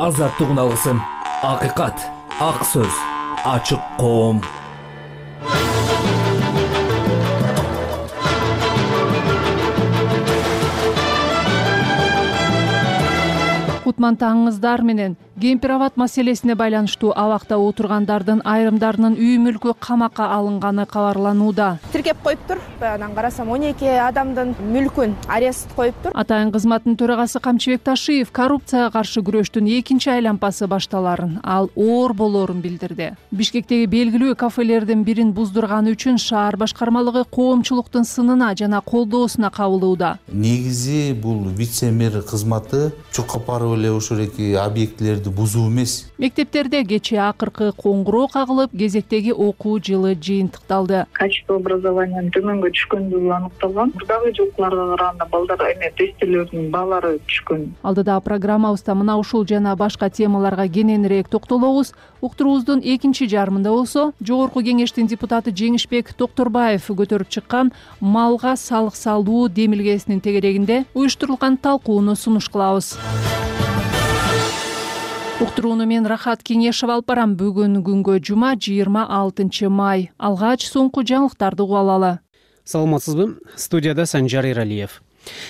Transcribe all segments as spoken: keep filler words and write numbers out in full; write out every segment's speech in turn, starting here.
азаттык үналгысын, акыйкат, ак сөз, ачык коом. Кутман таңыңыздар менен кемпир абад маселесине байланыштуу абакта отургандардын айрымдарынын үй мүлкү камакка алынганы кабарланууда. Тиркеп коюптур. Анан карасам он эки адамдын мүлкүн арест коюптур. Атайын кызматтын төрагасы Камчыбек Ташиев коррупцияга каршы күрөштүн экинчи айланпасы башталарын, ал оор болоорун билдирди. Бишкектеги белгилүү кафелердин бирин буздурганы үчүн шаар башкармалыгы коомчулуктун сынына жана колдоосуна кабылууда. Негизи бул вице-мэр кызматы чуркапаров эле ошол эки объектилерди бузуу эмес. Мектептерде кечээ акыркы коңгуроо кагылып, кезектеги окуу жылы жыйынтыкталды. Качество образованиянын төмөнгө түшкөндүгү аныкталган. Мурдагы жылкыларга караганда балдар эме тестилердин баалары түшкөн. Алдыда программабызда мына ушул жана башка темаларга кененирээк токтолобуз. Уктуруубуздун экинчи жарымында болсо, Жогорку кеңештин депутаты Жеңишбек Токторбаев көтөрүп чыккан малга салык салуу демилгесинин тегерегинде уюштурулган талкууну сунуш кылабыз. Уктурууну мен Рахат Кеңешева алып барам. Бүгүн күнгө жума жыйырма алтынчы май. Алгач соңку жаңылыктарды угуп алалы. Саламатсызбы? Студияда Санжар Иралиев.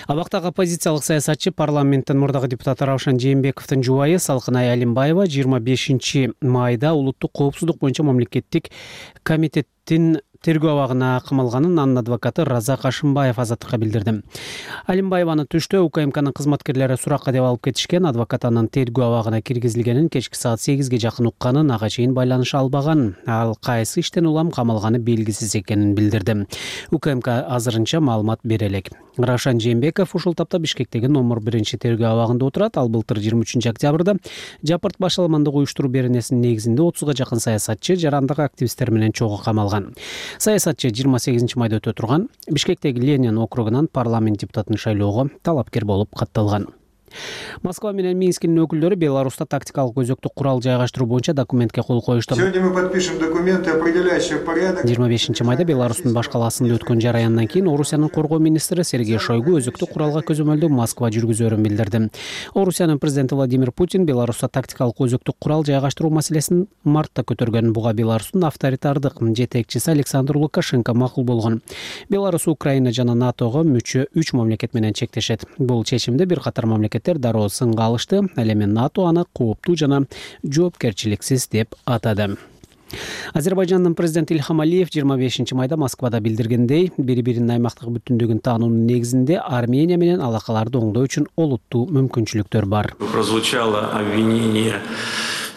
Абактагы оппозициялык саясатчы парламенттин мурдагы депутаты Раушан Жээнбековдун жубайы Салкынай Алимбаева жыйырма бешинчи майда улуттук коопсуздук боюнча мамлекеттик комитеттин тергөө абагына камалганын анын адвокаты Разак Ашымбаев Азаттыкка билдирди. Алимбаеваны түштө УКМКнын кызматкерлери суракка деп алып кетишкен. Адвокат анын тергөө абагына киргизилгенин кечки саат сегизге жакын укканын, ага чейин байланыша албаган. Ал кайсы иштен улам камалганы белгисиз экенин билдирди. УКМК азырынча маалымат бере элек. Раушан Жээнбеков ушул тапта Бишкектеги номер биринчи тергөө абагында отурат. Ал былтыр жыйырма үчүнчү октябрда Жапырт башаламандык уюштуруу беренесинин негизинде отузга жакын саясатчы, жарандык активисттер менен чогуу камалган. Саясатчы жыйырма сегизинчи майда өтө турган Бишкектеги Ленин округунан парламент депутатын шайлоого талапкер болуп катталган. Москва менен Минскинин өкүлдөрү Беларуста тактикалык өзөктүк курал жайгаштыруу боюнча документке кол коюшту. Сегодня мы подпишем документы, определяющие порядок. жыйырма бешинчи майда Беларустун баш калаасында өткөн жараяндан кийин Орусиянын коргоо министри Сергей Шойгу өзөктүк куралга көзөмөлдүү Москва жүргүзөрүн билдирди. Орусиянын президенти Владимир Путин Беларуста тактикалык өзөктүк курал жайгаштыруу маселесин мартта көтөргөн. Буга Беларустун авторитардык жетекчиси Александр Лукашенко макул болгон. Беларус Украина жана НАТОго мүчө үч мамлекет менен чектешет. Бул чечимди бир катар мамлекет дароо сынга алышты. Ал эми НАТО аны кооптуу жана жоопкерчиликсиз деп атады. Азербайжандын президенти Ильхам Алиев жыйырма бешинчи майда Москвада билдиргендей, бири-биринин аймактык бүтүндүгүн таануунун негизинде Армения менен алакаларды оңдоо үчүн олуттуу мүмкүнчүлүктөр бар. Прозвучало обвинение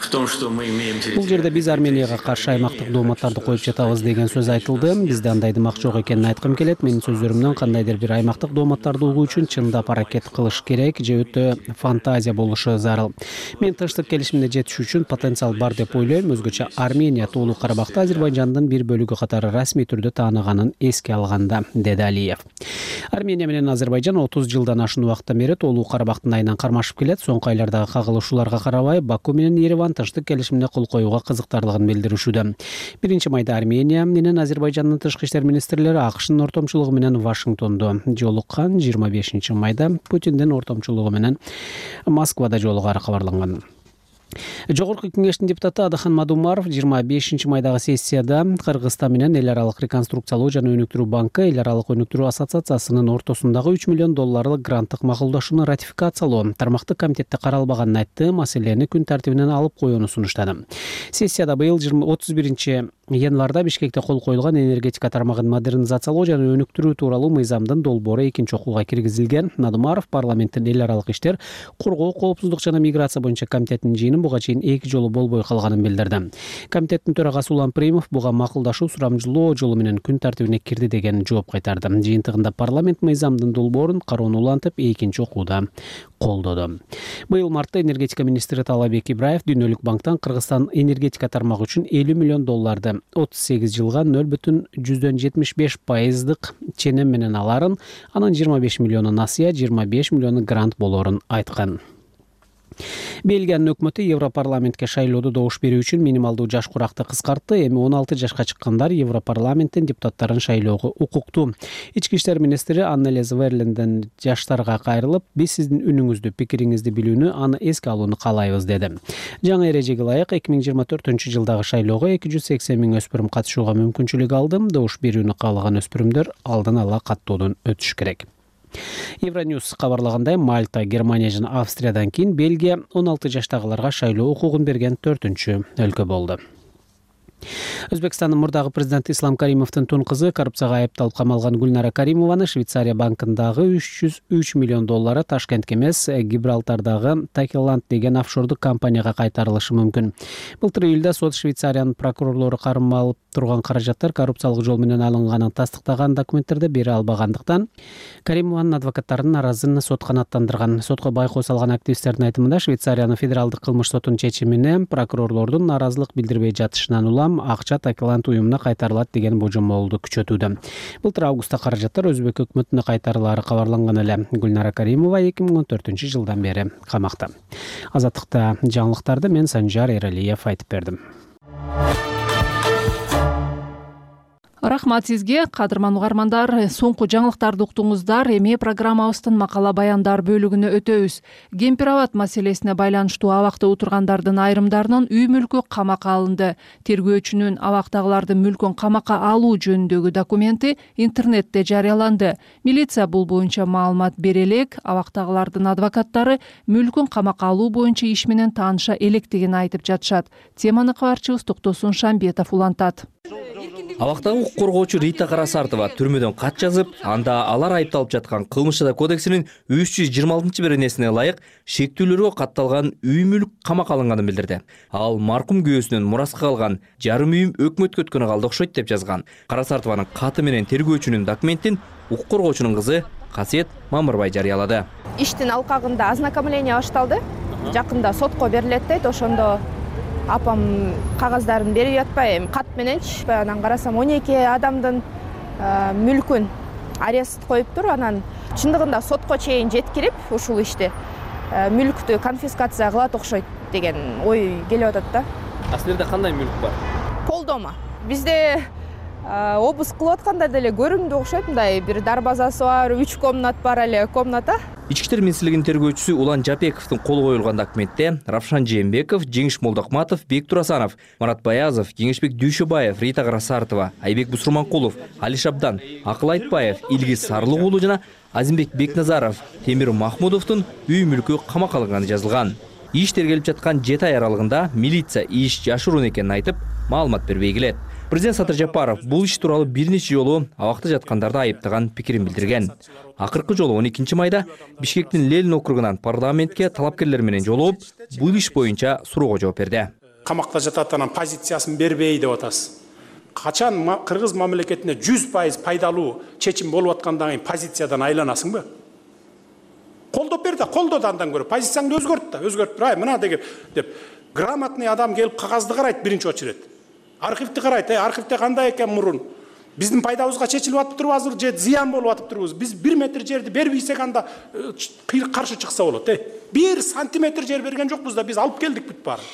в том, что мы имеем территорию. Бул жерде биз Арменияга каршы аймактык дооматтарды коюп жатабыз деген сөз айтылды. Бизде андай дымак жок экенин айткым келет. Менин сөздөрүмдөн кандайдыр бир аймактык дооматтарды угуу үчүн чындап аракет кылыш керек же өтө фантазия болушу зарыл. Мен тынчтык келишимине жетиш үчүн потенциал бар деп ойлойм. Өзгөчө Армения Тоолуу Карабакты Азербайжандын бир бөлүгү катары расмий түрдө тааныганын эске алганда, деди Алиев. Армения менен Азербайжан отуз жылдан ашуун убакыттан бери Тоолуу Карабактын айынан кармашып келет. Соңку айлардагы кагылышууларга карабай Баку менен Ереван тынчтык келишимине кол коюуга кызыктарлыгын билдиришүүдө. Биринчи майда Армения менен Азербайжандын тышкы иштер министрлери АКШнын ортомчулугу менен Вашингтондо жолуккан. жыйырма бешинчи майда Путиндин ортомчулугу менен Москвада жолугары кабарланган. Жогорку кеңештин депутаты Адахан Мадумаров жыйырма бешинчи майдагы сессияда Кыргызстан менен эл аралык реконструкциялоо жана өнүктүрүү банкы эл аралык өнүктүрүү ассоциациясынын ортосундагы үч миллион долларлык гранттык макулдашууну ратификациялоо тармактык комитетте каралбаганын айтты. Маселени күн тартибинен алып коюуну сунуштады. Сессияда быйыл отуз биринчи январда Бишкекте кол коюлган энергетика тармагын модернизациялоо жана өнүктүрүү тууралуу мыйзамдын долбоору экинчи окууга киргизилген. Надумаров парламенттин эл аралык иштер, коргоо, коопсуздук жана миграция боюнча комитетинин жыйынын буга чейин эки жолу болбой калганын билдирди. Комитеттин төрагасы Улан Примов буга макулдашуу сурамжылоо жолу менен күн тартибине кирди деген жооп кайтарды. Жыйынтыгында парламент мыйзамдын долбоорун кароону улантып экинчи окууда колдоду. Быйыл мартта энергетика министри Талабек Ибраев Дүйнөлүк банктан Кыргызстан энергетика тармагы үчүн элүү миллион долларды отуз сегиз жылга нөл бүтүн жүздөн жетимиш беш пайыздык ченем менен аларын, анын жыйырма беш миллиону насыя, жыйырма беш миллиону грант болоорун айткан. Бельгиянын өкмөтү Европарламентке шайлоодо добуш берүү үчүн минималдуу жаш куракты кыскартты. Эми он алты жашка чыккандар Европарламенттин депутаттарын шайлоого укуктуу. Ички иштер министри Аннелиз Верленден жаштарга кайрылып, биз сиздин үнүңүздү, пикириңизди билүүнү, аны эске алууну каалайбыз деди. Жаңы эрежеге ылайык эки миң жыйырма төртүнчү жылдагы шайлоого эки жүз сексен миң өспүрүм катышууга мүмкүнчүлүк алды. Добуш берүүнү каалаган өспүрүмдөр алдын ала каттоодон өтүш керек. Евроньюз кабарлагандай, Мальта, Германия жана Австриядан кийин Бельгия он алты жаштагыларга шайлоо укугун берген төртүнчү өлкө болду. Өзбекстандын мурдагы президенти Ислам Каримовдун тун кызы коррупцияга айыпталып камалган Гүлнара Каримованы Швейцария банкындагы үч жүз үч миллион доллары Ташкентке эмес, Гибралтардагы Такиланд деген офшордук компанияга кайтарылышы мүмкүн. Былтыр июлда сот Швейцариянын прокурорлору кармалып турган каражаттар коррупциялык жол менен алынганын тастыктаган документтерди бере албагандыктан Каримованын адвокаттарын наразы сот канааттандырган. Сотко байкоо салган активисттердин айтымында, Швейцариянын федералдык кылмыш сотунун чечимине прокурорлордун наразылык билдирбей жатышынан улам акча Такиланд уюмуна кайтарылат деген божомолду күчөтүүдө. Былтыр августта каражаттар өзбек өкмөтүнө кайтарылары кабарланган эле. Гүлнара Каримова эки миң он төртүнчү жылдан бери камакта. Азаттыкта жаңылыктарды мен Санжар Эралиев айтып бердим. Рахмат сизге, кадырман угармандар. Соңку жаңылыктарды уктуңуздар. Эми программабыздын макала баяндар бөлүгүнө өтөбүз. Кемпир-абад маселесине байланыштуу абакта отургандардын айрымдарынын үй мүлкү камакка алынды. Тергөөчүнүн абактагылардын мүлкүн камакка алуу жөнүндөгү документи интернетте жарыяланды. Милиция бул боюнча маалымат бере элек, абактагылардын адвокаттары мүлкүн камакка алуу боюнча иш менен тааныша электигин айтып жатышат. Теманы кабарчыбыз Токтосун Шамбетов улантат. Абактагы укук коргоочу Рита Карасартова түрмөдөн кат жазып, анда алар айыпталып жаткан кылмыш жаза кодексинин үч жүз жыйырма алтынчы беренесине ылайык шектүүлөргө катталган үй мүлк камакка алынганын билдирди. Ал маркум күйөөсүнөн мураска калган жарым үйүм өкмөткө өткөнү калды окшойт деп жазган. Карасартованын каты менен тергөөчүнүн документин укук коргоочунун кызы Касиет Мамырбай жарыялады. Иштин алкагында ознакомление башталды. Жакында сотко берилет дейт, ошондо апам кагаздарын берип жатпай, эми кат мененчи. Анан карасам он эки адамдын мүлкүн арест коюптур. Анан чындыгында сотко чейин жеткирип, ушул ишти мүлктү конфискация кылат окшойт деген ой келип атат да. А силерде кандай мүлк бар? Пол дома. Бизде обыск кылып атканда деле көрүндү окшойт, мындай бир дарбазасы бар, үч комнат бар эле комната. Ички иштер министрлигинин тергөөчүсү Улан Жапековдун колу коюлган документте Равшан Жээнбеков, Жеңиш Молдокматов, Бек Турасанов, Марат Баязов, Кеңешбек Дүйшөбаев, Рита Карасартова, Айбек Бусурманкулов, Али Шабдан, Акыл Айтбаев, Илгиз Сарлык уулу жана Азимбек Бекназаров, Темир Махмудовдун үй мүлкү камакка алынганы жазылган. Иш тергелип жаткан жети ай аралыгында милиция иш жашыруун экенин айтып, маалымат бербей келет. Президент Садыр Жапаров бул иш тууралуу бир нече жолу абакта жаткандарды айыптаган пикирин билдирген. Акыркы жолу он экинчи майда Бишкектин Ленин округунан парламентке талапкерлер менен жолугуп, бул иш боюнча суроого жооп берди. Камакта жатат, анан позициясын бербей деп атасыз. Качан кыргыз мамлекетине жүз пайыз пайдалуу чечим болуп аткандан кийин позициядан айланасыңбы? Колдоп бер да, колдоду андан көрө. Позицияңды өзгөрт да, өзгөртүп тур. Ай, мына деген деп грамотный адам келип кагазды карайт биринчи очередь. Архивди карайт, э, архивде кандай экен мурун? Биздин пайдабызга чечилип атып турбу азыр же зыян болуп атып турбуз? Биз бир метр жерди бербейсек анда каршы чыкса болот, э. бир сантиметр жер берген жокпуз да, биз алып келдик бүт баарын.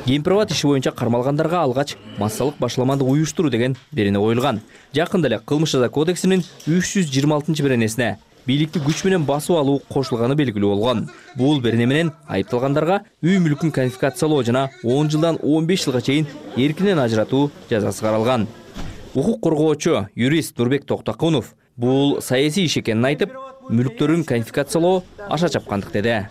Кемпир-абад иши боюнча кармалгандарга алгач массалык башламанды уюштуруу деген берене коюлган. Жакында эле кылмыш жаза кодексинин үч жүз жыйырма алтынчы беренесине бийликти күч менен басып алуу кошулганы белгилүү болгон. Бул берене менен айыпталгандарга үй мүлкүн конфискациялоо жана он жылдан он беш жылга чейин эркинен ажыратуу жазасы каралган. Укук коргоочу юрист Нурбек Токтокунов бул саясий иш экенин айтып, мүлктөрүн конфискациялоо аша чапкандык деди.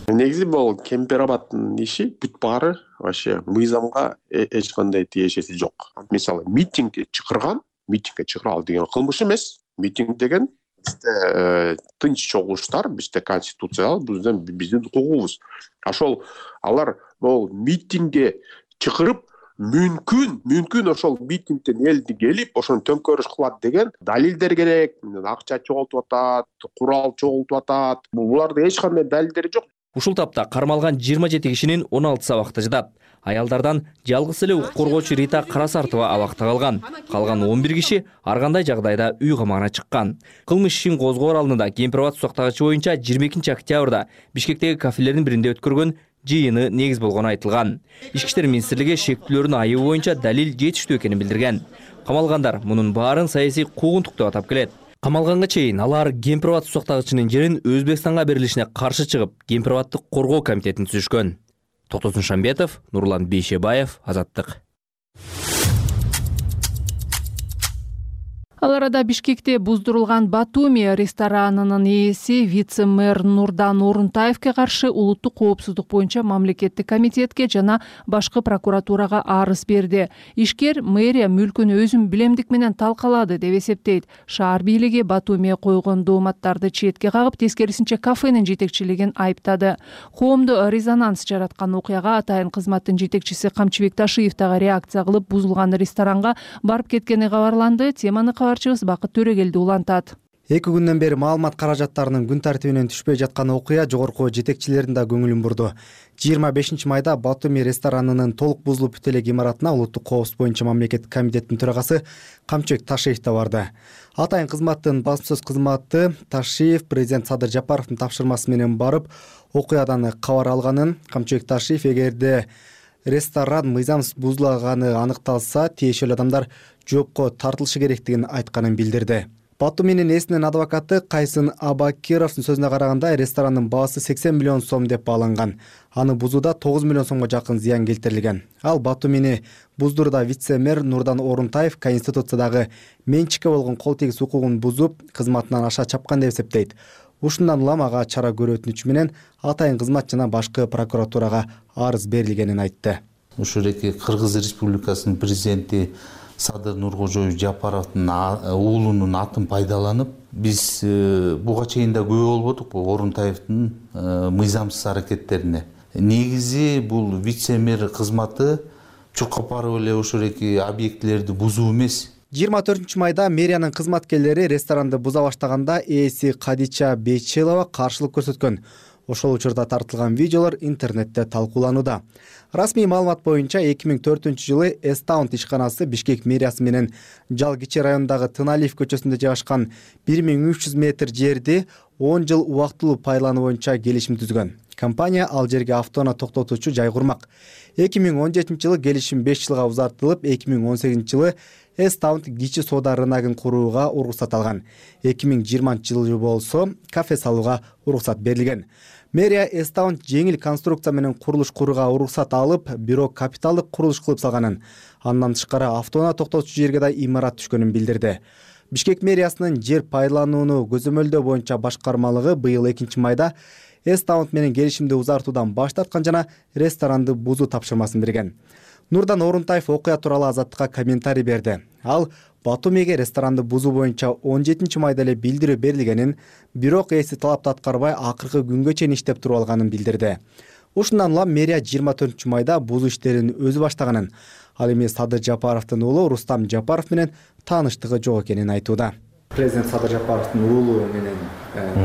Негизи бул Кемпир-абадтын иши бүт баары вообще мыйзамга эч кандай тиешеси жок. Мисалы, митингге чакырган, митингге чакыруу деген кылмыш эмес. Митинг деген бизде тынч чогулуштар, бизде конституция, биздин биздин укугубуз. Ошол алар бул митингге чакырып, мүмкүн, мүмкүн ошол митингден элди келип, ошону төңкөрүш кылат деген далилдер керек. Акча чогултуп атат, курал чогултуп атат. Булардын эч кандай далилдери жок. Ушул тапта кармалган жыйырма жети кишинин он алтысы абакта жатат. Аялдардан жалгыз эле укук коргоочу Рита Карасартова абакта калган. Калган он бир киши ар кандай жагдайда үй камагына чыккан. Кылмыш ишин козгоор алдында Кемпир Абад сактагычы боюнча жыйырма экинчи октябрда Бишкектеги кафелердин биринде өткөргөн жыйыны негиз болгону айтылган. Ички иштер министрлиги шектүүлөрдүн айыбы боюнча далил жетиштүү экенин билдирген. Камалгандар мунун баарын саясий куугунтук деп атап келет. Камалганга чейин алар Кемпир Абад сактагычынын жерин Өзбекстанга берилишине каршы чыгып, Кемпир Абадты коргоо комитетин түзүшкөн. Токтосун Шамбетов, Нурлан Бейшебаев, Азаттык. Ал арада Бишкекте буздурулган Батуми ресторанынын ээси вице-мэр Нурдан Орунтаевке каршы улуттук коопсуздук боюнча мамлекеттик комитетке жана башкы прокуратурага арыз берди. Ишкер мэрия мүлкүн өзүм билемдик менен талкалады деп эсептейт. Шаар бийлиги Батумиге койгон дооматтарды четке кагып, тескерисинче кафенин жетекчилигин айыптады. Коомдо резонанс жараткан окуяга атайын кызматтын жетекчиси Камчыбек Ташиев дагы реакция кылып, бузулган ресторанга барып кеткени кабарланды. Теманы кабарчыбыз Бакыт Төрөгелди улантат. Эки күндөн бери маалымат каражаттарынын күн тартибинен түшпөй жаткан окуя жогорку жетекчилердин да көңүлүн бурду. жыйырма бешинчи майда Батуми ресторанынын толук бузулуп бүт элек имаратына улуттук коопсуздук боюнча мамлекеттик комитеттин төрагасы Камчыбек Ташиев да барды. Атайын кызматтын басма сөз кызматы Ташиев президент Садыр Жапаровдун тапшырмасы менен барып, окуядан кабар алганын, Камчыбек Ташиев эгерде ресторан мыйзамсыз бузулаганы аныкталса, тиешелүү адамдар жоопко тартылышы керектигин айтканын билдирди. Батуминин ээсинин адвокаты Кайсын Абакировдун сөзүнө караганда, ресторанын баасы сексен миллион сом деп бааланган. Аны бузууда тогуз миллион сомго жакын зыян келтирилген. Ал Батумини буздурууда вице-мэр Нурдан Орунтаев Конституциядагы менчикке болгон кол тийгиз укугун бузуп, кызматынан аша чапкан деп эсептейт. Ушундан улам ага чара көрүү өтүнүчү менен атайын кызмат жана башкы прокуратурага арыз берилгенин айтты. Ушул эки Кыргыз Республикасынын президенти Садыр Нуркожоев Жапаровдун уулунун атын пайдаланып, биз буга чейин да күбө болбодук бул Орунтаевдин мыйзамсыз аракеттерине. Негизи бул вице-мэр кызматы чуркап барып эле ошол эки объектилерди бузуу эмес. жыйырма төртүнчү майда мэриянын кызматкерлери ресторанды буза баштаганда ээси Кадича Бейчелова каршылык көрсөткөн. Ошол учурда тартылган видеолор интернетте талкууланууда. Расмий маалымат боюнча эки миң төртүнчү жылы Эстаунт ишканасы Бишкек мэриясы менен Жалгичи районундагы Тыналиев көчөсүндө жайгашкан бир миң үч жүз метр жерди он жыл убактылуу пайдалануу боюнча келишим түзгөн. Компания ал жерге автоунаа токтотуучу жай курмак. эки миң он жетинчи жылы келишим беш жылга узартылып, эки миң он сегизинчи жылы Эстаунт кичи соода рыногун курууга уруксат алган. эки миң жыйырманчы жылы болсо кафе салууга уруксат берилген. Мэрия Эстаунт жеңил конструкция менен курулуш курууга уруксат алып, бирок капиталдык курулуш кылып салганын, андан тышкары автоунаа токтотуучу жерге да имарат түшкөнүн билдирди. Бишкек мэриясынын жер пайдаланууну көзөмөлдөө боюнча башкармалыгы быйыл экинчи майда Эстаунт менен келишимди узартуудан баш тарткан жана ресторанды бузуу тапшырмасын берген. Нурдан Орунтаев окуя тууралуу Азаттыкка комментарий берди. Ал Батумиге ресторанды бузуу боюнча он жетинчи майда эле билдирүү берилгенин, бирок ээси талапты аткарбай акыркы күнгө чейин иштеп туруп алганын билдирди. Ушундан улам мэрия жыйырма төртүнчү майда бузуу иштерин өзү баштаганын, ал эми Садыр Жапаровдун уулу Рустам Жапаров менен тааныштыгы жок экенин айтууда. Президент Садыр Жапаровдун уулу менен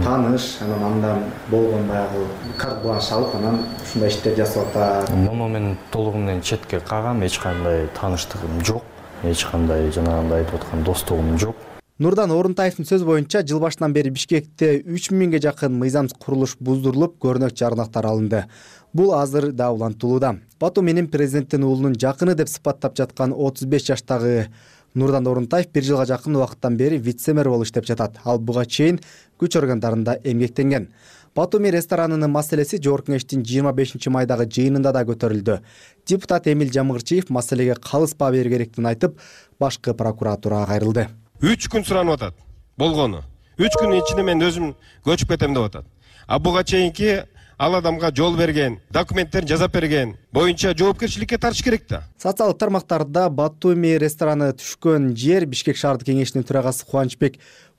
тааныш, анан андан болгон баягы карт бланш алып, анан ушундай иштер жасап атат. Момо менен толугу менен четке кагам, эч кандай тааныштыгым жок, эч кандай жанагындай айтып аткан достугум жок. Нурдан Орунтаевдин сөзү боюнча, жыл башынан бери Бишкекте үч миңге жакын мыйзамсыз курулуш буздурулуп, көрнөк жарнактар алынды. Бул азыр да улантылууда. Батуминин президенттин уулунун жакыны деп сыпаттап жаткан отуз беш жаштагы Нурдан Орунтаев бир жылга жакын убакыттан бери вице-мэр болуп иштеп жатат. Ал буга чейин күч органдарында эмгектенген. Батуми ресторанынын маселеси Жогорку кеңештин жыйырма бешинчи майдагы жыйынында да көтөрүлдү. Депутат Эмил Жамгырчиев маселеге калыспа берүү керектигин айтып, башкы прокуратурага кайрылды. үч күн суранып атат. Болгону. үч күнүн ичинде мен өзүм көчүп кетем деп атат. А буга чейинки ал адамга жол берген, документтерин жазап берген боюнча жоопкерчиликке тартыш керек да. Социалдык тармактарда Батуми рестораны түшкөн жер Бишкек шаардык кеңешинин төрагасы Кубанычбек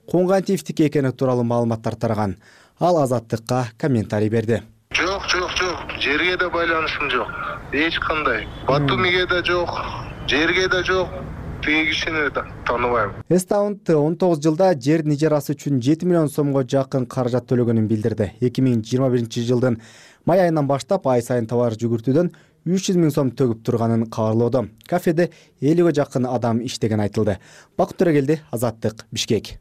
Кунгантиевдики экени тууралуу маалыматтар тараган. Ал Азаттыкка комментарий берди. Жок, жок, жок. Жерге да байланышым жок. Эч кандай. Батумиге да жок, жерге да жок. тиги кишини тааныбайм. Эстаунд он тогуз жылда жердин ижарасы үчүн жети миллион сомго жакын каражат төлөгөнүн билдирди. эки миң жыйырма биринчи жылдын май айынан баштап ай сайын товар жүгүртүүдөн үч жүз миң сом төгүп турганын кабарлоодо. Кафеде элүүгө жакын адам иштеген айтылды. Бакыт Төрөгелди, Азаттык, Бишкек.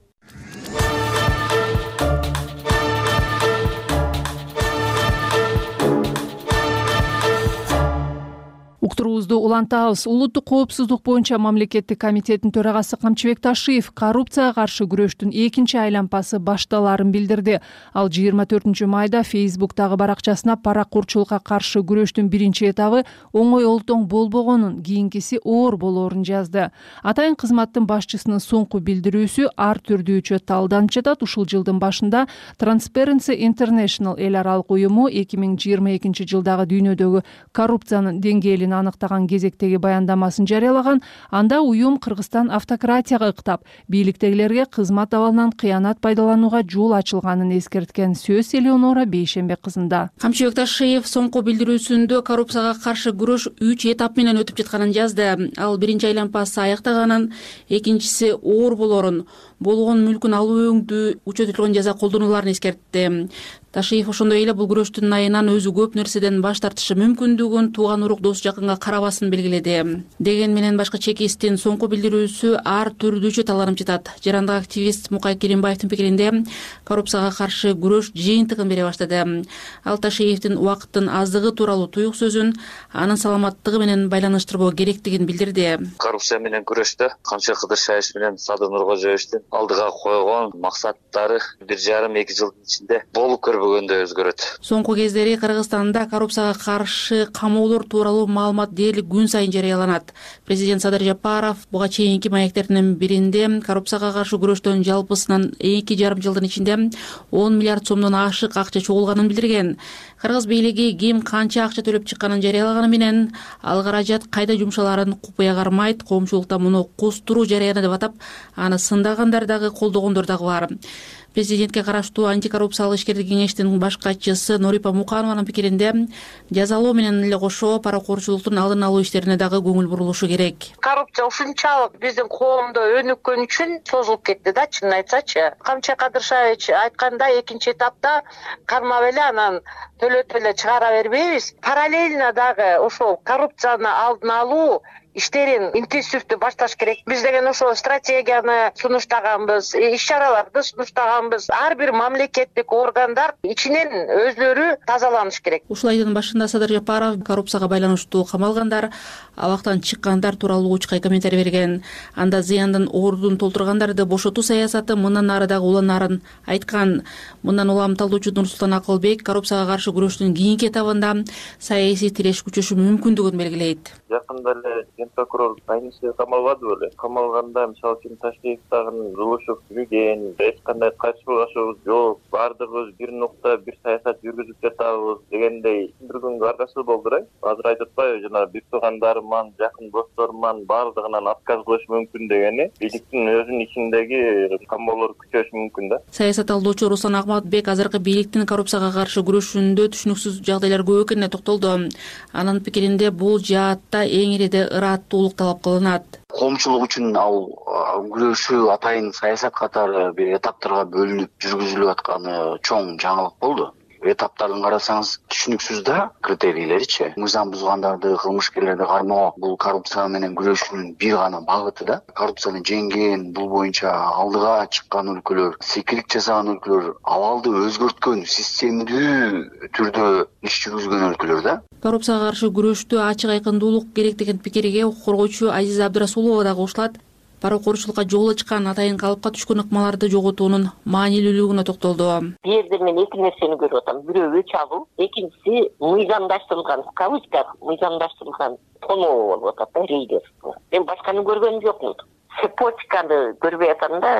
Уктуруубузду улантабыз. Улуттук коопсуздук боюнча мамлекеттик комитеттин төрагасы Камчыбек Ташиев коррупцияга каршы күрөштүн экинчи айлампасы башталаарын билдирди. Ал жыйырма төртүнчү майда Фейсбуктагы баракчасына паракурчулукка каршы күрөштүн биринчи этабы оңой олтоң болбогонун, кийинкиси оор болоорун жазды. Атайын кызматтын башчысынын соңку билдирүүсү ар түрдүүчө талданып жатат. Ушул жылдын башында Transparency International эл аралык уюму эки миң жыйырма экинчи жылдагы дүйнөдөгү коррупциянын деңгээлин аныктаган кезектеги баяндамасын жарыялаган. Анда уюм Кыргызстан автократияга ыктап, бийликтегилерге кызмат абалынан кыянат пайдаланууга жол ачылганын эскерткен. Сөз Элеонора Бейшембек кызында. Камчыбек Ташиев соңку билдирүүсүндө коррупцияга каршы күрөш үч этап менен өтүп жатканын жазды. Ал биринчи айланпасы аяктаганын, экинчиси оор болоорун, болгон мүлкүн алуу өңдүү учетулган жаза колдонуларын эскертти. Ташиев ошондой эле бул күрөштүн айынан өзү көп нерседен баш тартышы мүмкүндүгүн тууган урук дос жакынга карабасын белгиледи. Деген менен башкы чекисттин соңку билдирүүсү ар түрдүүчө таланып жатат. Жарандык активист Мукай Керимбаевдин пикиринде коррупцияга каршы күрөш жыйынтыгын бере баштады. Ал Ташиевдин убакыттын аздыгы тууралуу туюк сөзүн анын саламаттыгы менен байланыштырбоо керектигин билдирди. Коррупция менен күрөштө Камчыбек Кыдыршаевич менен Садыр Нуркожоевичтин алдыга койгон максаттары бир жарым эки жылдын ичинде болуп көрбөгөндөй өзгөрөт. Соңку кездери Кыргызстанда коррупцияга каршы камоолор тууралуу маалымат дээрлик күн сайын жарыяланат. Президент Садыр Жапаров буга чейинки маектердин биринде коррупцияга каршы күрөштөн жалпысынан эки жарым жылдын ичинде он миллиард сомдон ашык акча чогулганын билдирген. Кыргыз бийлиги ким канча акча төлөп чыкканын жарыялаганы менен ал каражат кайда жумшаларын купуя кармайт. Коомчулукта муну кустуруу жарыяны деп атап, аны сындагандар дагы колдогондор дагы бар. Президентке караштуу антикоррупциялык ишкердик кеңештин баш катчысы Норипа Муканованын пикиринде жазалоо менен эле кошо паракурчулуктун алдын алуу иштерине дагы көңүл бурулушу керек. Коррупция ушунчалык биздин коомдо өнүккөн үчүн созулуп кетти да, чынын айтсачы. Камчыбек Кыдыршаевич айткандай, экинчи этапта кармап эле анан төлөтүп эле чыгара бербейбиз. Параллельно дагы ошол коррупцияны алдын алуу иштерин интенсивдүү башташ керек. Биз деген ошол стратегияны сунуштаганбыз, иш-чараларды сунуштаганбыз. Ар бир мамлекеттик органдар ичинен өзлөрү тазаланыш керек. Ушул айдын башында Садыр Жапаров коррупцияга байланыштуу камалгандар, абактан чыккандар тууралуу учкай комментарий берген. Анда зыяндын ордун толтургандарды бошотуу саясаты мындан ары дагы уланарын айткан. Мындан улам талдоочу Нурсултан Акылбек коррупцияга каршы күрөштүн кийинки этабында саясий тиреш күчөшү мүмкүндүгүн белгилейт. Жакында эле ген прокурор Айнисе камалбады беле. Камалганда мисалы үчүн Ташкент дагы Жолошов жүргөн, эч кандай кайшылашыбыз жок, баардыгыбыз бир нукта бир саясат жүргүзүп жатабыз дегендей түшүндүргөнгө аргасыз болдурай. Азыр айтып атпайбы, жана бир туугандарыман, жакын досторуман баардыгынан отказ кылыш мүмкүн дегени, бийликтин өзүнүн ичиндеги камоолор күчөшү мүмкүн да. Саясат алуучу Руслан Ахматбек азыркы бийликтин коррупцияга каршы күрөшүндө түшүнүксүз жагдайлар көп экенине токтолду. Анын пикиринде бул жаатта эң ириде ыраттуулук талап кылынат. Коомчулук үчүн ал күрөшүү атайын саясат катары бир этаптарга бөлүнүп жүргүзүлүп атканы чоң жаңылык болду. Этаптарын карасаңыз түшүнүксүз да критерийлеричи. Мыйзам бузгандарды, кылмышкерлерди кармоо бул коррупция менен күрөшүүнүн бир гана багыты да. Коррупцияны жеңген, бул боюнча алдыга чыккан өлкөлөр, секилик жасаган өлкөлөр, абалды өзгөрткөн, системдүү түрдө иш жүргүзгөн өлкөлөр да. Коррупцияга каршы күрөштө ачык айкындуулук керек деген пикирге укук коргоочу Азиза Абдырасулова дагы кошулат. Паракурчулукка жол ачкан, атайын калыпка түшкөн ыкмаларды жоготуунун маанилүүлүгүнө токтолду. Бул жерде мен эки нерсени көрүп атам. Бирөө өч алуу, экинчиси мыйзамдаштырылган, кавычка мыйзамдаштырылган тоноо болуп атат да, рейдерство. Мен башканы көргөнүм жокмун. Цепочканы көрбөй атам да.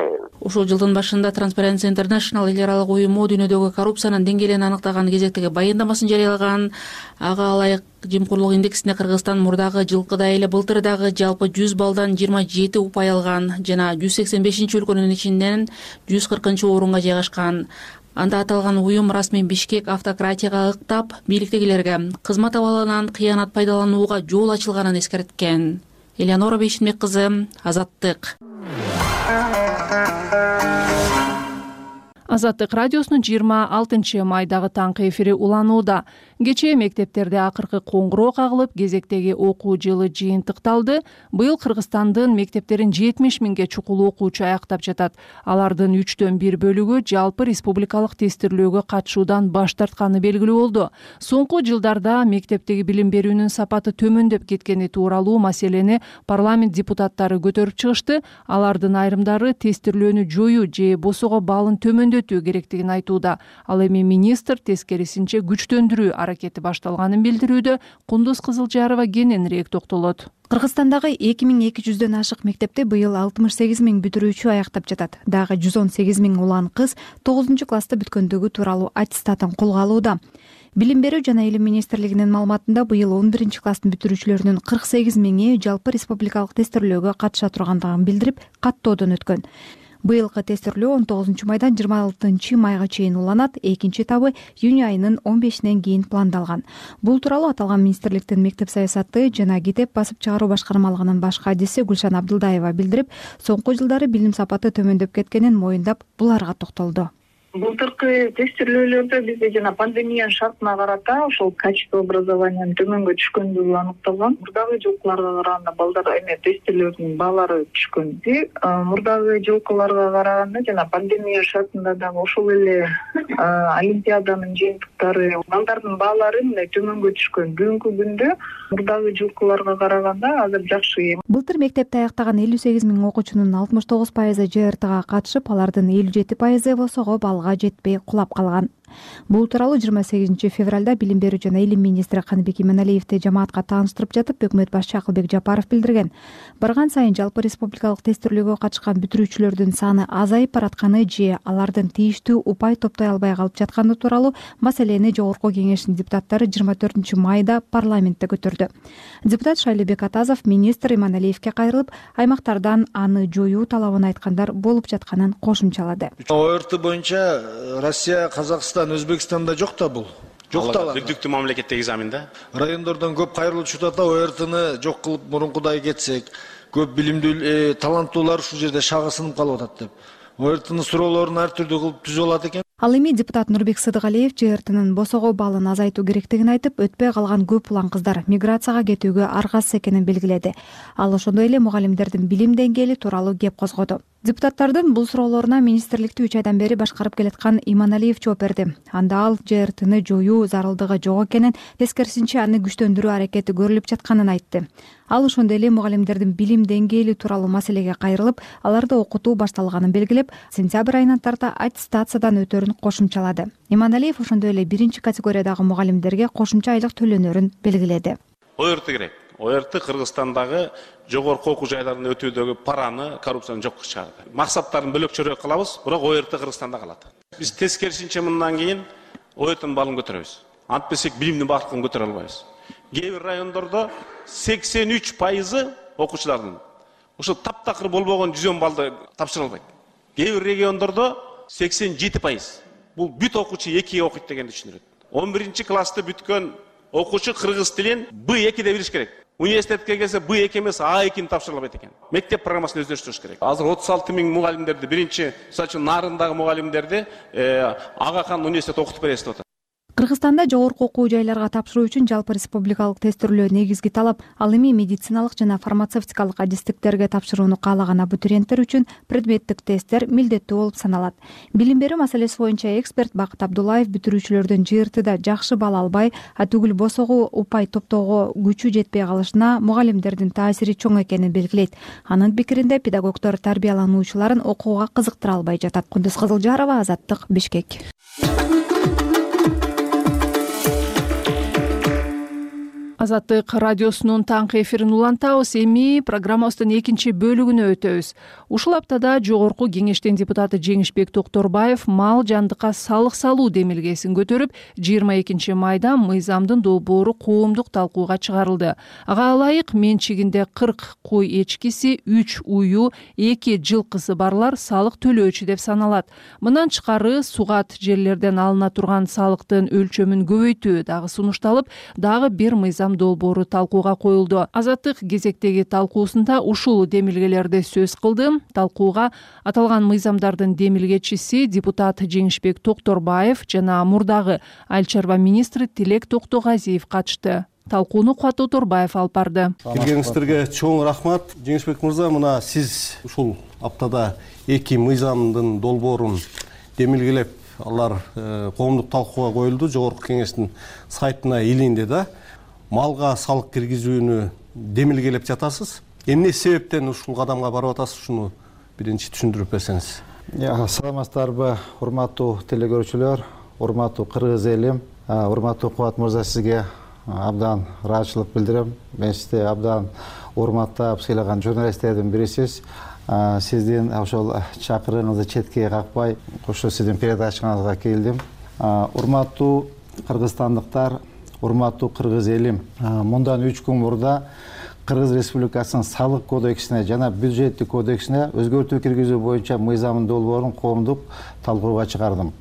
Ушул жылдын башында Transparency International эл аралык уюму дүйнөдөгү коррупциянын деңгээлин аныктаган кезектеги баяндамасын жарыялаган. Ага ылайык жемкорлук индексинде Кыргызстан мурдагы жылкыдай эле былтыр дагы жалпы жүз балдан жыйырма жети упай алган жана жүз сексен бешинчи өлкөнүн ичинен жүз кыркынчы орунга жайгашкан. Анда аталган уюм расмий Бишкек автократияга ыктап, бийликтегилерге кызмат абалынан кыянат пайдаланууга жол ачылганын эскерткен. Элеонора Бейшинбек кызы, Азаттык. Азаттык радиосунун жыйырма алтынчы майдагы таңкы эфири уланууда. Кечээ мектептерде акыркы коңгуроо кагылып, кезектеги окуу жылы жыйынтыкталды. Быйыл Кыргызстандын мектептерин жетимиш миңге чукул окуучу аяктап жатат. Алардын үчтөн бир бөлүгү жалпы республикалык тестирлөөгө катышуудан баш тартканы белгилүү болду. Соңку жылдарда мектептеги билим берүүнүн сапаты төмөндөп кеткени тууралуу маселени парламент депутаттары көтөрүп чыгышты. Алардын айрымдары тестирлөөнү жоюу же босого балын төмөндөтүү керектигин айтууда. Ал эми министр тескерисинче күчтөндүрүү аракети башталганын билдирүүдө. Кундуз Кызылжарова кененирээк токтолот. Кыргызстандагы эки миң эки жүздөн ашык мектепте быйыл алтымыш сегиз миң бүтүрүүчү аяктап жатат. Дагы жүз он сегиз миң улан кыз тогузунчу класста бүткөндүгү тууралуу аттестатын колго алууда. Билим берүү жана илим министрлигинин маалыматында быйыл он биринчи класстын бүтүрүүчүлөрүнүн кырк сегиз миңи жалпы республикалык тестирлөөгө катыша тургандыгын билдирип, каттоодон өткөн. Быйылкы тестирлөө он тогузунчу майдан жыйырма алтынчы майга чейин уланат. Экинчи этабы июнь айынын он бешинен кийин пландалган. Бул тууралуу аталган министрликтин мектеп саясаты жана китеп басып чыгаруу башкармалыгынын баш кадиси Гүлшан Абдылдаева билдирип, соңку жылдары билим сапаты төмөндөп кеткенин моюндап, буларга токтолду. Былтыркы тестирлөөлөрдө бизде жана пандемия шартына карата ошол качество образованиянын төмөнгө түшкөндүгү аныкталган. Мурдагы жылкыларга караганда балдар эме тестирлөөрдүн баалары түшкөн. Мурдагы жылкыларга караганда жана пандемия шартында дагы ошол эле олимпиаданын жыйынтыктары балдардын баалары мындай төмөнгө түшкөн. Бүгүнкү күндө мурдагы жылкыларга караганда азыр жакшы. Былтыр мектепти аяктаган элүү сегиз миң окуучунун алтымыш тогуз пайызы жэ эр тэга катышып, алардын элүү жети пайызы босого балга жетпей кулап калган. Бул тууралуу жыйырма сегизинчи февралда билим берүү жана илим министри Каныбек Иманалиевди жамаатка тааныштырып жатып, өкмөт башчы Акылбек Жапаров билдирген. Барган сайын жалпы республикалык тестирлөөгө катышкан бүтүрүүчүлөрдүн саны азайып баратканы же алардын тийиштүү упай топтой албай калып жатканы тууралуу маселени Жогорку кеңештин депутаттары жыйырма төртүнчү майда парламентте көтөрдү. Депутат Шайлебек Атазов министр Иманалиевге кайрылып, аймактардан аны жоюу талабын айткандар болуп жатканын кошумчалады. О эр тэ боюнча Россия, Казакстан, Өзбекстанда жок да бул. Жок да. Бүктүктүү мамлекеттеги экзамен да. Райондордон көп кайрылуучу ата о эр тэни жок кылып мурункудай кетсек, көп билимдүү, таланттуулар ушул жерде шагы сынып калып атат деп. о эр тэнин суроолорун ар түрдүү кылып түзүп алат экен. Ал эми депутат Нурбек Сыдыгалиев жэ эр тэнин босого балын азайтуу керектигин айтып, өтпөй калган көп улан кыздар миграцияга кетүүгө аргасыз экенин белгиледи. Ал ошондой эле мугалимдердин билим деңгээли тууралуу кеп козгоду. Депутаттардын бул суроолоруна министрликти үч айдан бери башкарып келаткан Иманалиев жооп берди. Анда ал жэ эр тэни жоюу зарылдыгы жок экенин, тескерисинче аны күчтөндүрүү аракети көрүлүп жатканын айтты. Ал ошондой эле мугалимдердин билим деңгээли тууралуу маселеге кайрылып, аларды окутуу башталганын белгилеп, сентябрь айынан тарта аттестациядан өтөрүн кошумчалады. Иманалиев ошондой эле биринчи категориядагы мугалимдерге кошумча айлык төлөнөрүн белгиледи. о эр тэ керек. о эр тэ Кыргызстандагы жогорку окуу жайларын өтүүдөгү параны, коррупцияны жокко чыгарды. Максаттарын бөлөкчөрөөк кылабыз, бирок о эр тэ Кыргызстанда калат. Биз тескерисинче мындан кийин о эр тэнин балын көтөрөбүз. Антпесек билимдин бактын көтөрө албайбыз. Кээ бир райондордо сексен үч пайызы окуучулардын ошо таптакыр болбогон жүз он балды тапшыра албайт. Кээ бир региондордо сексен жети пайыз. Бул бүт окуучу экиге окуйт дегенди түшүндүрөт. он биринчи классты бүткөн окуучу кыргыз тилин бэ экиде билиш керек. Университетке келсе бэ эки эмес а экини тапшыра албайт экен. Мектеп программасын өздөштүрүш керек. Азыр отуз алты миң мугалимдерди, биринчи, мисалы үчүн Нарындагы мугалимдерди Ага хан университет окутуп бересиз деп атат. Кыргызстанда жогорку окуу жайларга тапшыруу үчүн жалпы республикалык тестирлөө негизги талап. Ал эми медициналык жана фармацевтикалык адистиктерге тапшырууну каалаган абитуриенттер үчүн предметтик тесттер милдеттүү болуп саналат. Билим берүү маселеси боюнча эксперт Бакыт Абдуллаев бүтүрүүчүлөрдүн жэ эр тэде жакшы балл албай, а түгүл босого упай топтоого күчү жетпей калышына мугалимдердин таасири чоң экенин белгилейт. Анын пикиринде педагогдор тарбиялануучуларын окууга кызыктыра албай жатат. Кундуз Кызылжарова, Азаттык, Бишкек. Азаттык радиосунун таңкы эфирин улантабыз. Эми программабыздын экинчи бөлүгүнө өтөбүз. Ушул аптада Жогорку кеңештин депутаты Жеңишбек Токторбаев мал жандыкка салык салуу демилгесин көтөрүп, жыйырма экинчи майда мыйзамдын долбоору коомдук талкууга чыгарылды. Ага ылайык менчигинде кырк кой эчкиси, үч уюу, эки жылкысы барлар салык төлөөчү деп саналат. Мындан тышкары сугат жерлерден алына турган салыктын өлчөмүн көбөйтүү дагы сунушталып, дагы бир мыйзам мыйзам долбоору талкууга коюлду. Азаттык кезектеги талкуусунда ушул демилгелерди сөз кылды. Талкууга аталган мыйзамдардын демилгечиси депутат Жеңишбек Токторбаев жана мурдагы Айыл чарба министри Тилек Токтогазиев катышты. Талкууну Кубат Оторбаев алып барды. Келгениңиздерге чоң рахмат. Жеңишбек мырза, мына сиз ушул аптада эки мыйзамдын долбоорун демилгелеп, алар коомдук талкууга коюлду. Жогорку кеңештин сайтына илинди да. Малга салык киргизүүнү демилгелеп жатасыз. Эмне себептен ушул кадамга барып атасыз? Ушуну биринчи түшүндүрүп берсеңиз. Саламатсыздарбы, урматтуу телекөрүүчүлөр, урматтуу кыргыз элим, урматтуу Кубат мырза, сизге абдан ыраазычылык билдирем. Мен сизди абдан урматтап сыйлаган журналисттердин бирисиз. Сиздин ошол чакырыгыңызды четке какпай, ошо сиздин передачаңызга келдим. Урматтуу кыргызстандыктар, урматтуу кыргыз элим, мындан үч күн мурда Кыргыз Республикасынын салык кодексине жана бюджеттик кодексине өзгөртүү киргизүү боюнча мыйзамдын долбоорун коомдук талкууга чыгардым.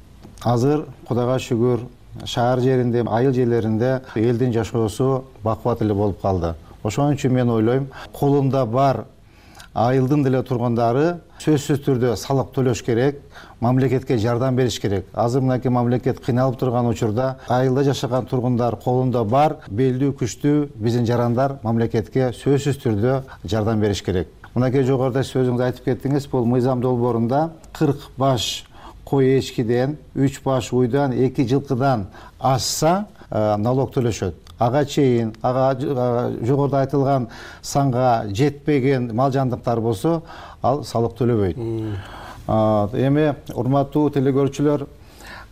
Азыр Кудайга шүгүр, шаар жеринде, айыл жерлеринде элдин жашоосу бакубат эле болуп калды. Ошон үчүн мен ойлойм, колунда бар айылдын деле тургундары сөзсүз түрдө салык төлөш керек, мамлекетке жардам бериш керек. Азыр мынакей мамлекет кыйналып турган учурда айылда жашаган тургундар колунда бар белдүү күчтүү биздин жарандар мамлекетке сөзсүз түрдө жардам бериш керек. Мынакей жогоруда сөзүңүздү айтып кеттиңиз, бул мыйзам долбоорунда кырк баш кой эчкиден, үч баш уйдан, эки жылкыдан ашса налог төлөшөт. Ага чейин, ага жогоруда айтылган санга жетпеген мал жандыктар болсо, ал салык төлөбөйт. Эми урматтуу телекөрүүчүлөр,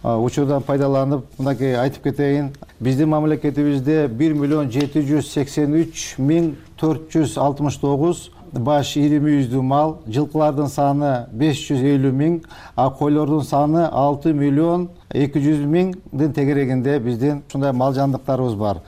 учурдан пайдаланып, мынакей айтып кетейин. Биздин мамлекетибизде бир миллион жети жүз сексен үч миң төрт жүз алтымыш тогуз баш ири мүйүздүү мал, жылкылардын саны беш жүз элүү миң, а койлордун саны алты миллион эки жүз миңдин тегерегинде биздин ушундай мал жандыктарыбыз бар.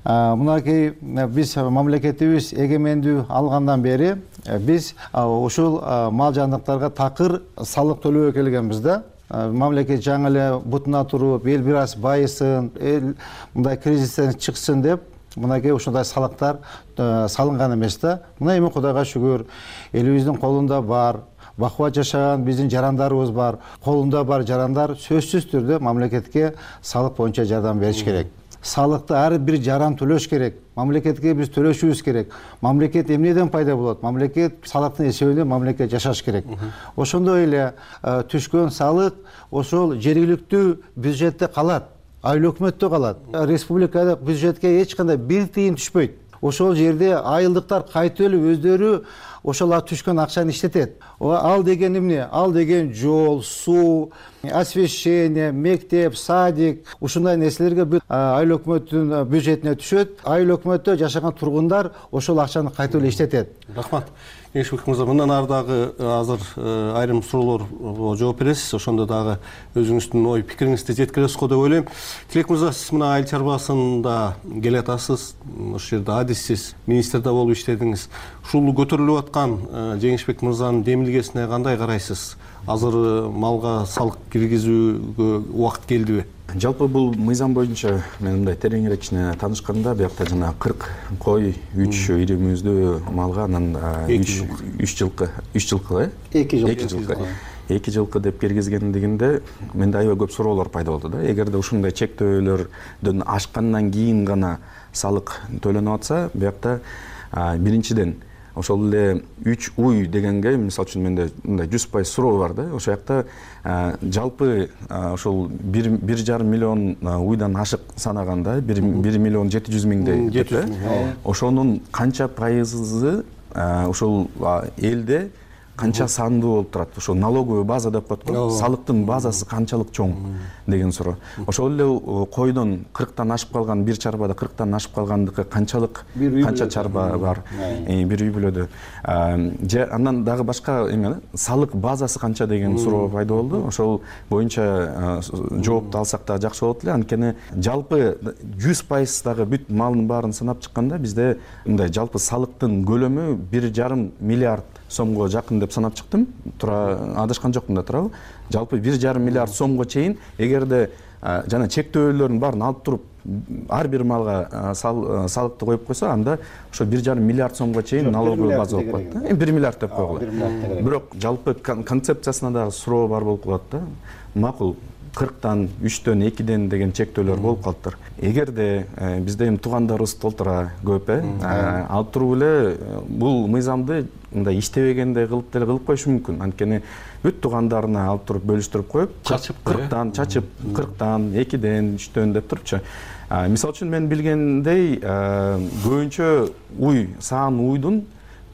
Мынакей биз мамлекетибиз эгемендүү алгандан бери биз ушул мал жандыктарга такыр салык төлөбөй келгенбиз да. Мамлекет жаңы эле бутуна туруп, эл бир аз байысын, эл мындай кризистен чыксын деп мынакей ушундай салыктар салынган эмес да. Мына эми Кудайга шүгүр, элибиздин колунда бар, бакубат жашаган биздин жарандарыбыз бар. Колунда бар жарандар сөзсүз түрдө мамлекетке салык боюнча жардам бериш керек. Салыкты ар бир жаран төлөш керек. Мамлекетке биз төлөшүбүз керек. Мамлекет эмнеден пайда болот? Мамлекет салыктын эсебинен мамлекет жашаш керек. Ошондой эле түшкөн салык ошол жергиликтүү бюджетте калат. Айыл өкмөттө калат. Республикада бюджетке эч кандай бир тыйын түшпөйт. Ошол жерде айылдыктар кайтып эле өздөрү ошол түшкөн акчаны иштетет. Ал деген эмне? Ал деген жол, суу, освещение, мектеп, садик, ушундай нерселерге айыл өкмөттүн бюджетине түшөт. Айыл өкмөттө жашаган тургундар ошол акчаны кайтып эле иштетет. Рахмат. Жеңишбек мырза, мындан ары дагы азыр айрым суроолорго жооп бересиз. Ошондо дагы өзүңүздүн ой пикириңизди жеткиресиз го деп ойлойм. Тилек мырза, сиз мына айыл чарбасында келатасыз. Ошол жерде адиссиз, министрде болуп иштедиңиз. Ушул көтөрүлүп аткан Жеңишбек мырзанын демилгесине кандай карайсыз? Азыр малга салык киргизүүгө убакыт келдиби? Жалпы бул мыйзам боюнча мен мындай тереңирээк кичине таанышканда, биякта жана кырк кой, үч ири мүйүздүү малга, анан үч жылкы, үч жылкы, э? эки жылкы. эки жылкы деп киргизгендигинде менде аябай көп суроолор пайда болду да. Эгерде ушундай чектөөлөрдөн ашкандан кийин гана салык төлөнүп атса, биякта биринчиден ошол эле үч уй дегенге, мисалы үчүн менде мындай жүз пайыз суроо бар да. Ошол жакта жалпы ошол бир жарым миллион уйдан ашык санаганда, бир миллион жети жүз миңдей деп, ошонун канча пайызы ошол элде канча сандуу болуп турат? Ошо налоговый база деп коет го. Салыктын базасы канчалык чоң деген суроо. Ошол эле койдон кырктан ашып калган, бир чарбада кырктан ашып калгандыкы канчалык, канча чарба бар бир үй бүлөдө. Же андан дагы башка эме, салык базасы канча деген суроо пайда болду. Ошол боюнча жоопту алсак да жакшы болот эле. Анткени жалпы жүз пайыз дагы бүт малдын баарын санап чыкканда бизде мындай жалпы салыктын көлөмү бир жарым миллиард сомго жакын деп санап чыктым. Тура адашкан жокмун да, туурабы? Жалпы бир жарым миллиард сомго чейин эгерде жана чектөөлөрдүн баарын алып туруп ар бир малга салыкты коюп койсо, анда ошо бир жарым миллиард сомго чейин налоговый база болуп калат да. бир миллиард деп койгула. Бирок жалпы концепциясына дагы суроо бар болуп калат да. Макул кырктан, үчтөн, экиден деген чектөөлөр болуп калыптыр. Эгерде бизде эми туугандарыбыз толтура көп э, алып туруп эле бул мыйзамды мындай иштебегендей кылып деле кылып коюшу мүмкүн. Анткени бүт туугандарына алып туруп бөлүштүрүп коюп, чачып кырктан, чачып кырктан, экиден, үчтөн деп турупчу. Мисалы үчүн мен билгендей, көбүнчө уй, саан уйдун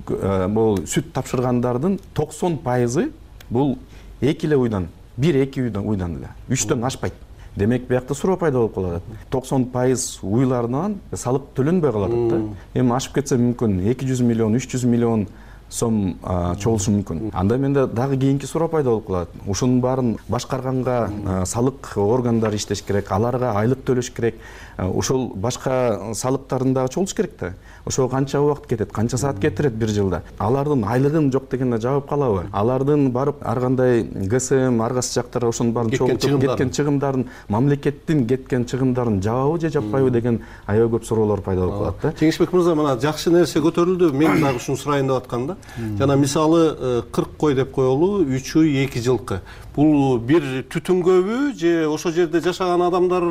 бул сүт тапшыргандардын токсон пайызы бул эки эле уйдан, бир эки уйдан эле, үчтөн ашпайт. Демек биякта суроо пайда болуп калат. токсон пайыз уйларынан салык төлөнбөй калат да. Эми ашып кетсе мүмкүн эки жүз миллион, үч жүз миллион сом чогулушу мүмкүн. Анда менде дагы кийинки суроо пайда болуп калат. Ушунун баарын башкарганга салык органдары иштеш керек, аларга айлык төлөш керек. Ошол башка салыктарын дагы чогултуш керек да. Ошого канча убакыт кетет, канча саат кетирет бир жылда. Алардын айлыгын жок дегенде жабып калабы? Алардын барып ар кандай ГСМ, ар кайсы жактар ошонун баарын чогултуп кеткен чыгымдарын, мамлекеттин кеткен чыгымдарын жабабы же жаппайбы деген аябай көп суроолор пайда болуп калат да. Жеңишбек мырза, мына жакшы нерсе көтөрүлдү. Мен дагы ушуну сурайын деп аткам да. Жана мисалы кырк кой деп коелу, үч уй, эки жылкы. Бул бир түтүнгөбү же ошол жерде жашаган адамдар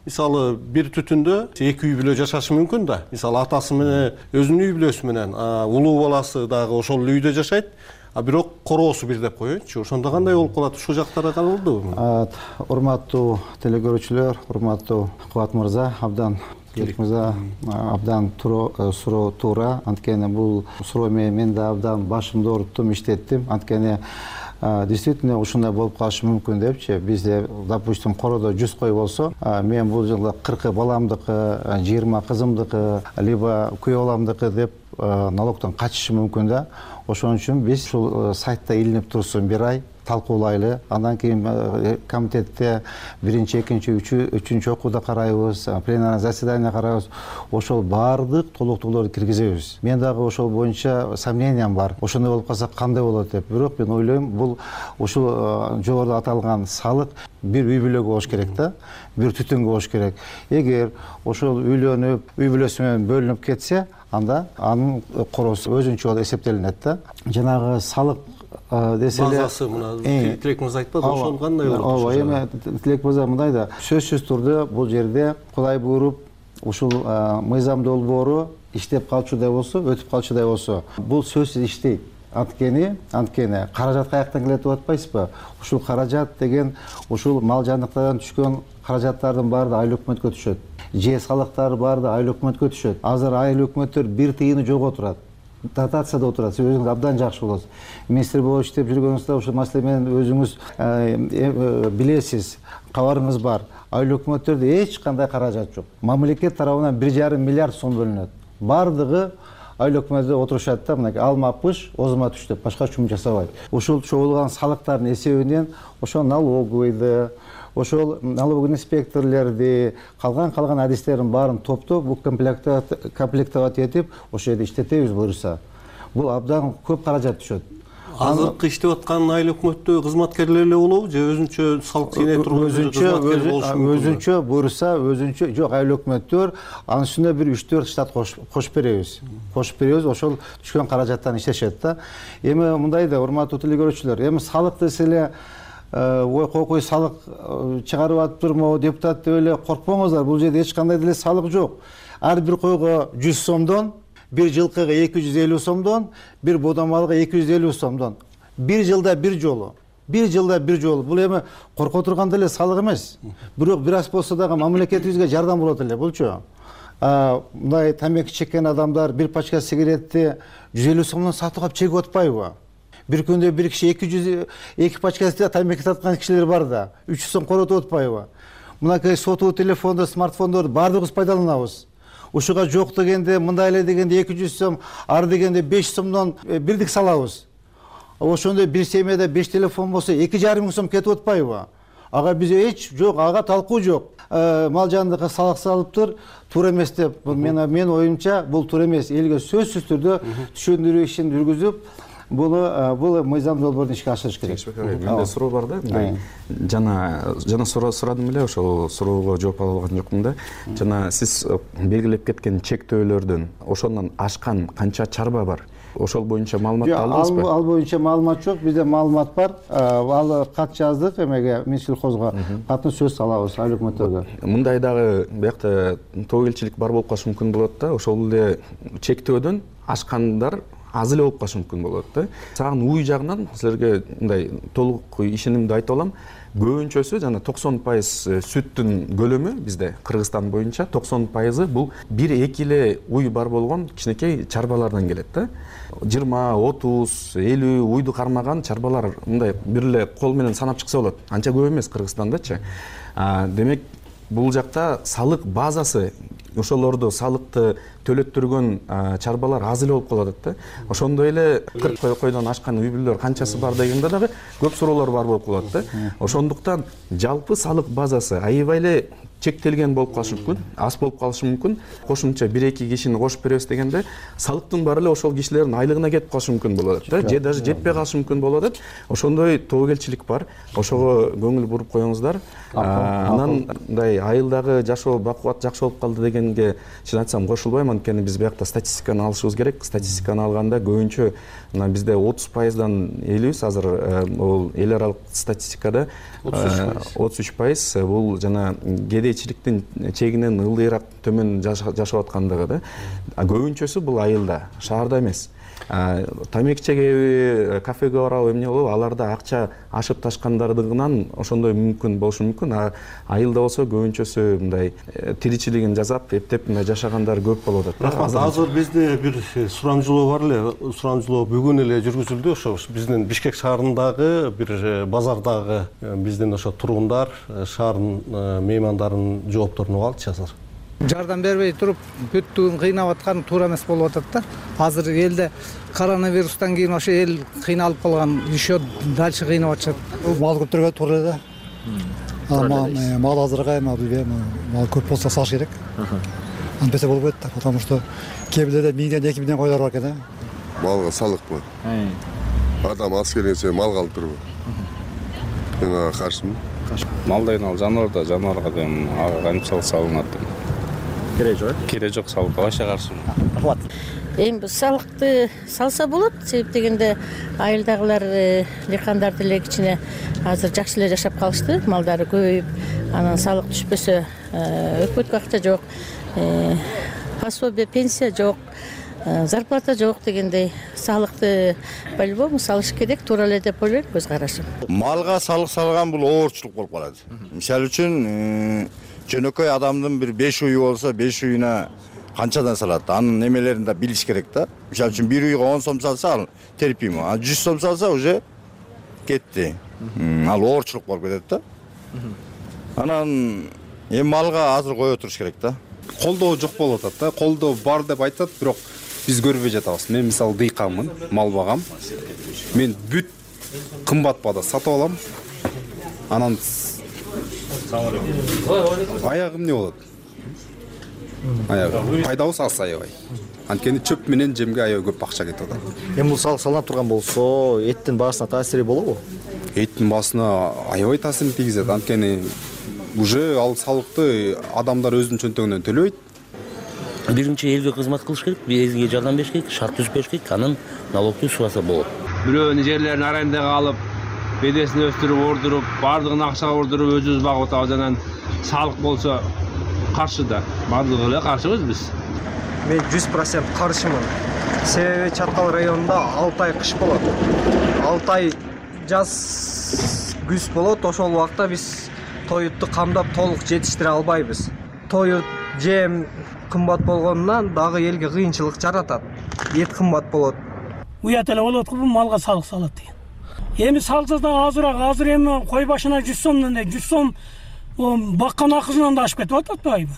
мисалы бир түтүндө эки үй бүлө жашашы мүмкүн да. Мисалы атасы менен өзүнүн үй бүлөсү менен, улуу баласы дагы ошол үйдө жашайт, а бирок короосу бир деп коеюнчу. Ошондо кандай болуп калат? Ушул жактары каралдыбы? Урматтуу телекөрүүчүлөр, урматтуу Кубат мырза, абдан мырза абдан суроо туура. Анткени бул суроо менен мен да абдан башымды ооруттум, иштеттим. Анткени действительно ушундай болуп калышы мүмкүн депчи. Бизде, допустим, короодо жүз кой болсо, мен бул жылы кыркы баламдыкы, жыйырма кызымдыкы, либо күйөө баламдыкы деп налогдон качышы мүмкүн да. Ошон үчүн биз ушул сайтта илинип турсун бир ай талкуулайлы. Андан кийин комитетте биринчи, экинчи, үчүнчү окууда карайбыз, пленарный заседание карайбыз. Ошол баардык толуктууларды киргизебиз. Мен дагы ошол боюнча сомнениям бар. Ошондой болуп калса кандай болот деп. Бирок мен ойлойм, бул ушул жогоруда аталган салык бир үй бүлөгө болуш керек да, бир түтүнгө болуш керек. Эгер ошол үйлөнүп, үй бүлөсү менен бөлүнүп кетсе, анда анын короосу өзүнчө болуп эсептелинет да. Жанагы салык деселе базасы мына Тилек мырза айтпады, ошол кандай болот? Ооба, эми Тилек мырза мындай да, сөзсүз турдуу бул жерде Кудай буйруп ушул мыйзам долбоору иштеп калчудай болсо, өтүп калчудай болсо, бул сөзсүз иштейт. Анткени, анткени каражат каяктан келет деп атпайсызбы? Ушул каражат деген ушул мал жандыктардан түшкөн каражаттардын баары да айыл өкмөткө түшөт. Же салыктар баары да айыл өкмөткө түшөт. Азыр айыл өкмөттөр бир тыйыны жок отурат. Дотацияда отурат. Сиз өзүңүз абдан жакшы болосуз. Министр болуп иштеп жүргөнүңүздө ушул маселе менен өзүңүз билесиз, кабарыңыз бар. Айыл өкмөттөрдө эч кандай каражат жок. Мамлекет тарабынан бир жарым миллиард сом бөлүнөт. Бардыгы айыл өкмөттө отурушат да, мынакей алма пыш, озма түш деп башка чум жасабайт. Ушул чогулган салыктардын эсебинен ошол налоговыйды, ошол налоговый инспекторлорду, калган калган адистердин баарын топтоп, бул комплектовать этип, ошол жерде иштетебиз буюрса. Бул абдан көп каражат түшөт. Азыркы иштеп аткан айыл өкмөттө кызматкерлер эле болобу же өзүнчө салык жыйнай турган кызматкер болушу мүмкүн? Өзүнчө буюрса, өзүнчө жок, айыл өкмөттөр анын үстүнө бир үч төрт штат кошуп беребиз. Кошуп беребиз, ошол түшкөн каражаттан иштешет да. Эми мындай да, урматтуу телекөрүүчүлөр, эми салык деселе ой кокуй салык чыгарып атыптырмы депутат деп эле коркпоңуздар. Бул жерде эч кандай деле салык жок. Ар бир койго жүз сомдон, бир жылкыга эки жүз элүү сомдон, бир бодомалга эки жүз элүү сомдон. Бир жылда бир жолу. Бир жылда бир жолу. Бул эми корко турган деле салык эмес. Бирок бир аз болсо дагы мамлекетибизге жардам болот эле булчу. Мындай тамеки чеккен адамдар бир пачка сигаретти жүз элүү сомдон сатып алып чегип атпайбы? Бир күндө бир киши эки жүз эки пачка тамеки саткан кишилер бар да, үч жүз сом коротуп атпайбы? Мынакей сотуу телефондо, смартфондорду баардыгыбыз пайдаланабыз. Ушуга жок дегенде, мындай эле дегенде эки жүз сом, ар дегенде беш сомдон бирдик салабыз. Ошондой бир семьяда беш телефон болсо эки жарым миң сом кетип атпайбы? Ага бизде эч жок, ага талкуу жок. Мал жандыкка салык салыптыр, туура эмес деп. Мен мен оюмча бул туура эмес. Элге сөзсүз түрдө түшүндүрүү ишин жүргүзүп, бул бул мыйзам долбоорун ишке ашырыш керек. Менде суроо бар да. Жана жана сурадым эле, ошол суроого жооп ала алган жокмун да. Жана сиз белгилеп кеткен чектөөлөрдөн ошондон ашкан канча чарба бар? Ошол боюнча маалымат алдыңызбы? Ал боюнча маалымат жок. Бизде маалымат бар. Ал кат жаздык эмеге, Минсельхозго. Катын сөз алабыз айыл өкмөттөргө. Мындай дагы биякта тобокелчилик бар болуп калышы мүмкүн болот да. Ошол эле чектөөдөн ашкандар аз эле болуп калышы мүмкүн болот да. Сагын уй жагынан силерге мындай толук ишенимди айтып алам. Көбүнчөсү жана токсон пайыз сүттүн көлөмү бизде Кыргызстан боюнча токсон пайызы бул бир эки эле уй бар болгон кичинекей чарбалардан келет да. жыйырма, отуз, элүү уйду кармаган чарбалар мындай бир эле кол менен санап чыкса болот. Анча көп эмес Кыргызстандачы. Демек бул жакта салык базасы, ошолорду салыкты төлөттүргөн чарбалар аз эле болуп калат да. Ошондой эле кырк койдон ашкан үй бүлөлөр канчасы бар дегенде дагы көп суроолор бар болуп калат да. Ошондуктан жалпы салык базасы аябай эле чектелген болуп калышы мүмкүн, аз болуп калышы мүмкүн. Кошумча бир эки кишини кошуп беребиз дегенде салыктын баары эле ошол кишилердин айлыгына кетип калышы мүмкүн болот да. Же даже жетпей калышы мүмкүн болот. Ошондой тобокелчилик бар. Ошого көңүл буруп коюңуздар. Анан мындай айылдагы жашоо бакубат жакшы болуп калды дегенге чын айтсам кошулбайм. Анткени биз биякта статистиканы алышыбыз керек. Статистиканы алганда көбүнчө мына бизде отуз пайыздан элүүбүз азыр бул эл аралык статистикада отуз үч пайыз бул жана кедейчиликтин чегинен ылдыйраак төмөн жашап аткандыгы да. Көбүнчөсү бул айылда, шаарда эмес. Тамеки чегеби, кафеге барабы, эмне болобу, аларда акча ашып ташкандардыгынан ошондой мүмкүн болушу мүмкүн. Айылда болсо көбүнчөсү мындай тиричилигин жасап, эптеп мындай жашагандар көп болуп атат. Рахмат. Азыр бизде бир сурамжылоо бар эле. Сурамжылоо бүгүн эле жүргүзүлдү. Ошо биздин Бишкек шаарындагы бир базардагы биздин ошо тургундар, шаардын меймандарынын жоопторун угалычы азыр. Жардам бербей туруп бүттүгүн кыйнап аткан туура эмес болуп атат да. Азыр элде коронавирустан кийин ошо эл кыйналып калган, еще дальше кыйнап атышат. Мал көптөргө туура эле да. Мал азыркай, бизге мал көп болсо сатыш керек. Антпесе болбойт да, потому что кээ бирлерде миңден эки миңден койлор бар экен да. Малга салыкпы? Адам аз келген сайын малга алып турбу? Мен ага каршымын. Мал деген ал жаныбар да, жаныбарга деген ага кантип салык салынат? Кереги жок, кереги жок салыкка башка каршымын. Рахмат. Эми салыкты салса болот, себеп дегенде айылдагылар, дыйкандар деле кичине азыр жакшы эле жашап калышты, малдары көбөйүп, анан салык түшпөсө өкмөткө акча жок, пособие, пенсия жок, зарплата жок дегендей салыкты по-любому салыш керек, туура эле деп ойлойм, көз карашым. Малга салык салган бул оорчулук болуп калат. Мисалы үчүн жөнөкөй адамдын бир беш уйу болсо, беш уюна канчадан салат? Анын немелерин да билиш керек да. Мисалы үчүн бир уйга он сом салса, ал терпимо. А жүз сом салса уже кетти. Ал оорчулук болуп кетет да. Анан эми малга азыр кое туруш керек да. Колдоо жок болуп атат да. Колдоо бар деп айтат, бирок биз көрбөй жатабыз. Мен мисалы дыйканмын, мал багам. Мен бүт кымбат баада сатып алам. Анан аягы эмне болот? Аягы пайдабыз аз аябай. Анткени чөп менен жемге аябай көп акча кетип атат. Эми бул салык салынып турган болсо, эттин баасына таасири болобу? Эттин баасына аябай таасирин тийгизет. Анткени уже ал салыкты адамдар өзүнүн чөнтөгүнөн төлөбөйт. Биринчи элге кызмат кылыш керек, элге жардам бериш керек, шарт түзүп бериш керек, анан налогду субаса болот. Бирөөнүн жерлерин арендага алып, бедесин өстүрүп, ордуруп, бардыгын акчага ордуруп өзүбүз багып атабыз. Анан салык болсо каршы да, бардыгы эле каршыбыз биз. Мен жүз процент каршымын. Себеби Чаткал районунда алты ай кыш болот. алты ай жаз күз болот. Ошол убакта биз тоютту камдап толук жетиштире албайбыз. Тоют жем кымбат болгонунан дагы элге кыйынчылык жаратат. Эт кымбат болот. Уят эле болот го бул малга салык салат деген. Эми салса да азыраак, азыр эми кой башына жүз сомдон эле жүз сом баккан акысынан да ашып кетип атпайбы?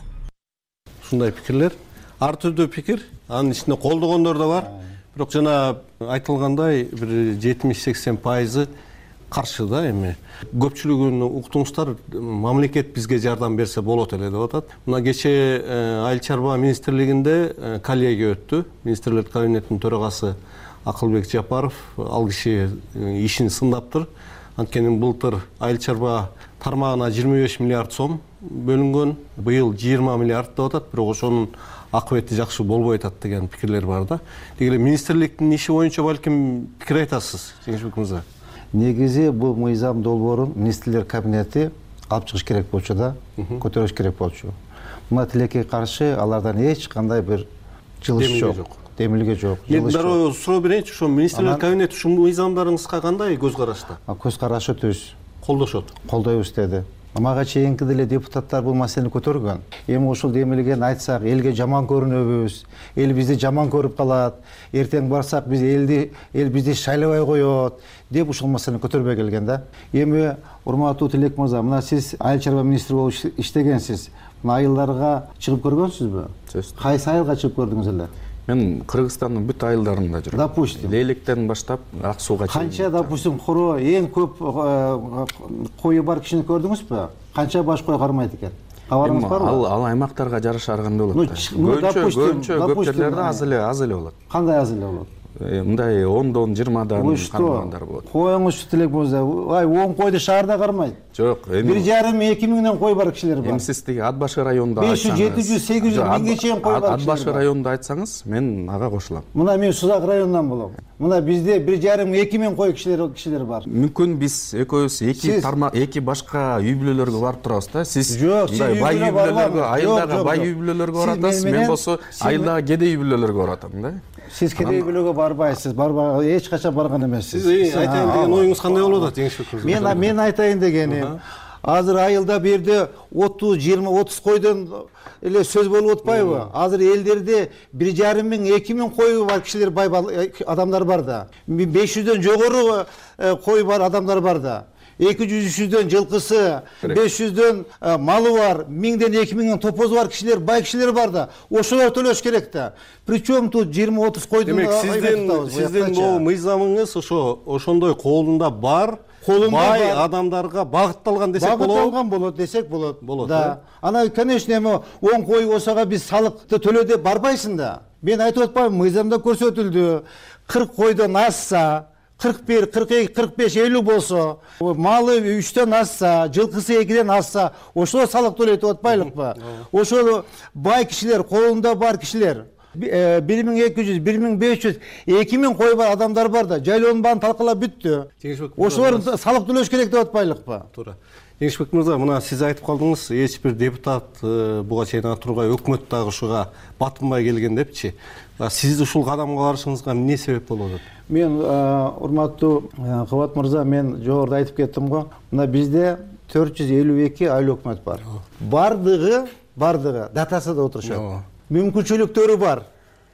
Ушундай пикирлер, ар түрдүү пикир, анын ичинде колдогондор да бар. Бирок жана айтылгандай бир жетимиш сексен пайызы каршы да эми. Көпчүлүгүн уктуңуздар, мамлекет бизге жардам берсе болот эле деп атат. Мына кечээ Айыл чарба министрлигинде коллегия өттү. Министрлер кабинетинин төрагасы Акылбек Жапаров. Ал киши ишин сындаптыр. Анткени былтыр айыл чарба тармагына жыйырма беш миллиард сом бөлүнгөн, быйыл жыйырма миллиард деп атат, бирок ошонун акыбети жакшы болбой атат деген пикирлер бар да. Деги эле министрликтин иши боюнча балким пикир айтасыз, Жеңишбек мырза. Негизи бул мыйзам долбоорун министрлер кабинети алып чыгыш керек болчу да, көтөрүш керек болчу. Мына тилекке каршы алардан эч кандай бир жылыш жок. Демилге жок. Мен дароо суроо берейинчи, ошо министрлер кабинети ушул мыйзамдарыңызга кандай көз карашта? Көз карашы түз. Колдошот. Колдойбуз деди. Мага чейинки деле депутаттар бул маселени көтөргөн. Эми ушул демилгени айтсак, элге жаман көрүнөбүз, эл бизди жаман көрүп калат, эртең барсак биз элди, эл бизди шайлабай коет деп ушул маселени көтөрбөй келген да. Эми урматтуу Тилек мырза, мына сиз айыл чарба министри болуп иштегенсиз. Мына айылдарга чыгып көргөнсүзбү? Кайсы айылга чыгып көрдүңүз эле? Мен Кыргызстандын бүт айылдарында жүрдүм. Допустим. Лейлектен баштап Ак сууга чейин. Канча, допустим, хоро эң көп кою бар кишини көрдүңүзбү? Канча баш кой кармайт экен? Кабарыңыз барбы? Ал ал аймактарга жараша ар кандай болот. Көчө, көчө, көпчөлөрдө аз эле, аз эле болот. Кандай аз эле болот? Мындай ондон, жыйырмадан кармагандар болот. Коюңуз Тилек мырза, ай он койду шаарда кармайт. Жок, эми бир жарым эки миңден кой бар кишилер бар. Эми сиз тиги Ат башы районунда беш жүз, жети жүз, сегиз жүз миңге чейин кой бар. Ат башы районунда айтсаңыз, мен ага кошулам. Мына мен Сузак районунан болом. Мына бизде бир жарым эки миң кой кишилер кишилер бар. Мүмкүн биз экөөбүз эки тармак, эки башка үй бүлөлөргө барып турабыз да. Сиз мындай бай үй бүлөлөргө, айылдагы бай үй бүлөлөргө баратасыз, мен болсо айылдагы кедей үй бүлөлөргө баратам да. Сиз кедей үй бүлөгө барбайсыз, барбай эч качан барган эмессиз. Сиз айтайын деген оюңуз кандай болуп атат, Жеңишбек мырза? Мен мен айтайын дегеним, азыр айылда бу жерде отуз, жыйырма, отуз койдон эле сөз болуп атпайбы? Азыр элдерде бир жарым миң, эки миң кою бар кишилер, бай адамдар бар да. беш жүздөн жогору кой бар адамдар бар да. эки жүз, үч жүздөн жылкысы, беш жүздөн малы бар, миңден эки миңден топозу бар кишилер, бай кишилер бар да. Ошолор төлөш керек да. Причем тут жыйырма, отуз койдун. Демек сиздин сиздин бул мыйзамыңыз ошо ошондой колунда бар, бай адамдарга багытталган десек болобу? Багытталган болот десек болот. Болот да. Ана конечно эми он кой болсога биз салыкты төлө деп барбайсың да. Мен айтып атпаймынбы, мыйзамда көрсөтүлдү. кырк койдон ашса, кырк бир, кырк эки, кырк беш, элүү болсо, малы үчтөн ашса, жылкысы экиден ашса, ошол салык төлөйт деп атпайлыкпы? Ошол бай кишилер, колунда бар кишилер, бир миң эки жүз, бир миң беш жүз, эки миң кой бар адамдар бар да, жайлоонун баарын талкалап бүттү. Ошолор салык төлөш керек деп атпайлыкпы? Туура. Жеңишбек мырза, мына сиз айтып калдыңыз, эч бир депутат буга чейин тургай өкмөт дагы ушуга батынбай келген депчи. Сиз ушул кадамга барышыңызга эмне себеп болуп атат? Мен урматтуу Кыбат мырза, мен жогоруда айтып кеттим го. Мына бизде төрт жүз элүү эки айыл өкмөт бар. Бардыгы, бардыгы датасында отурушат. Мүмкүнчүлүктөрү бар.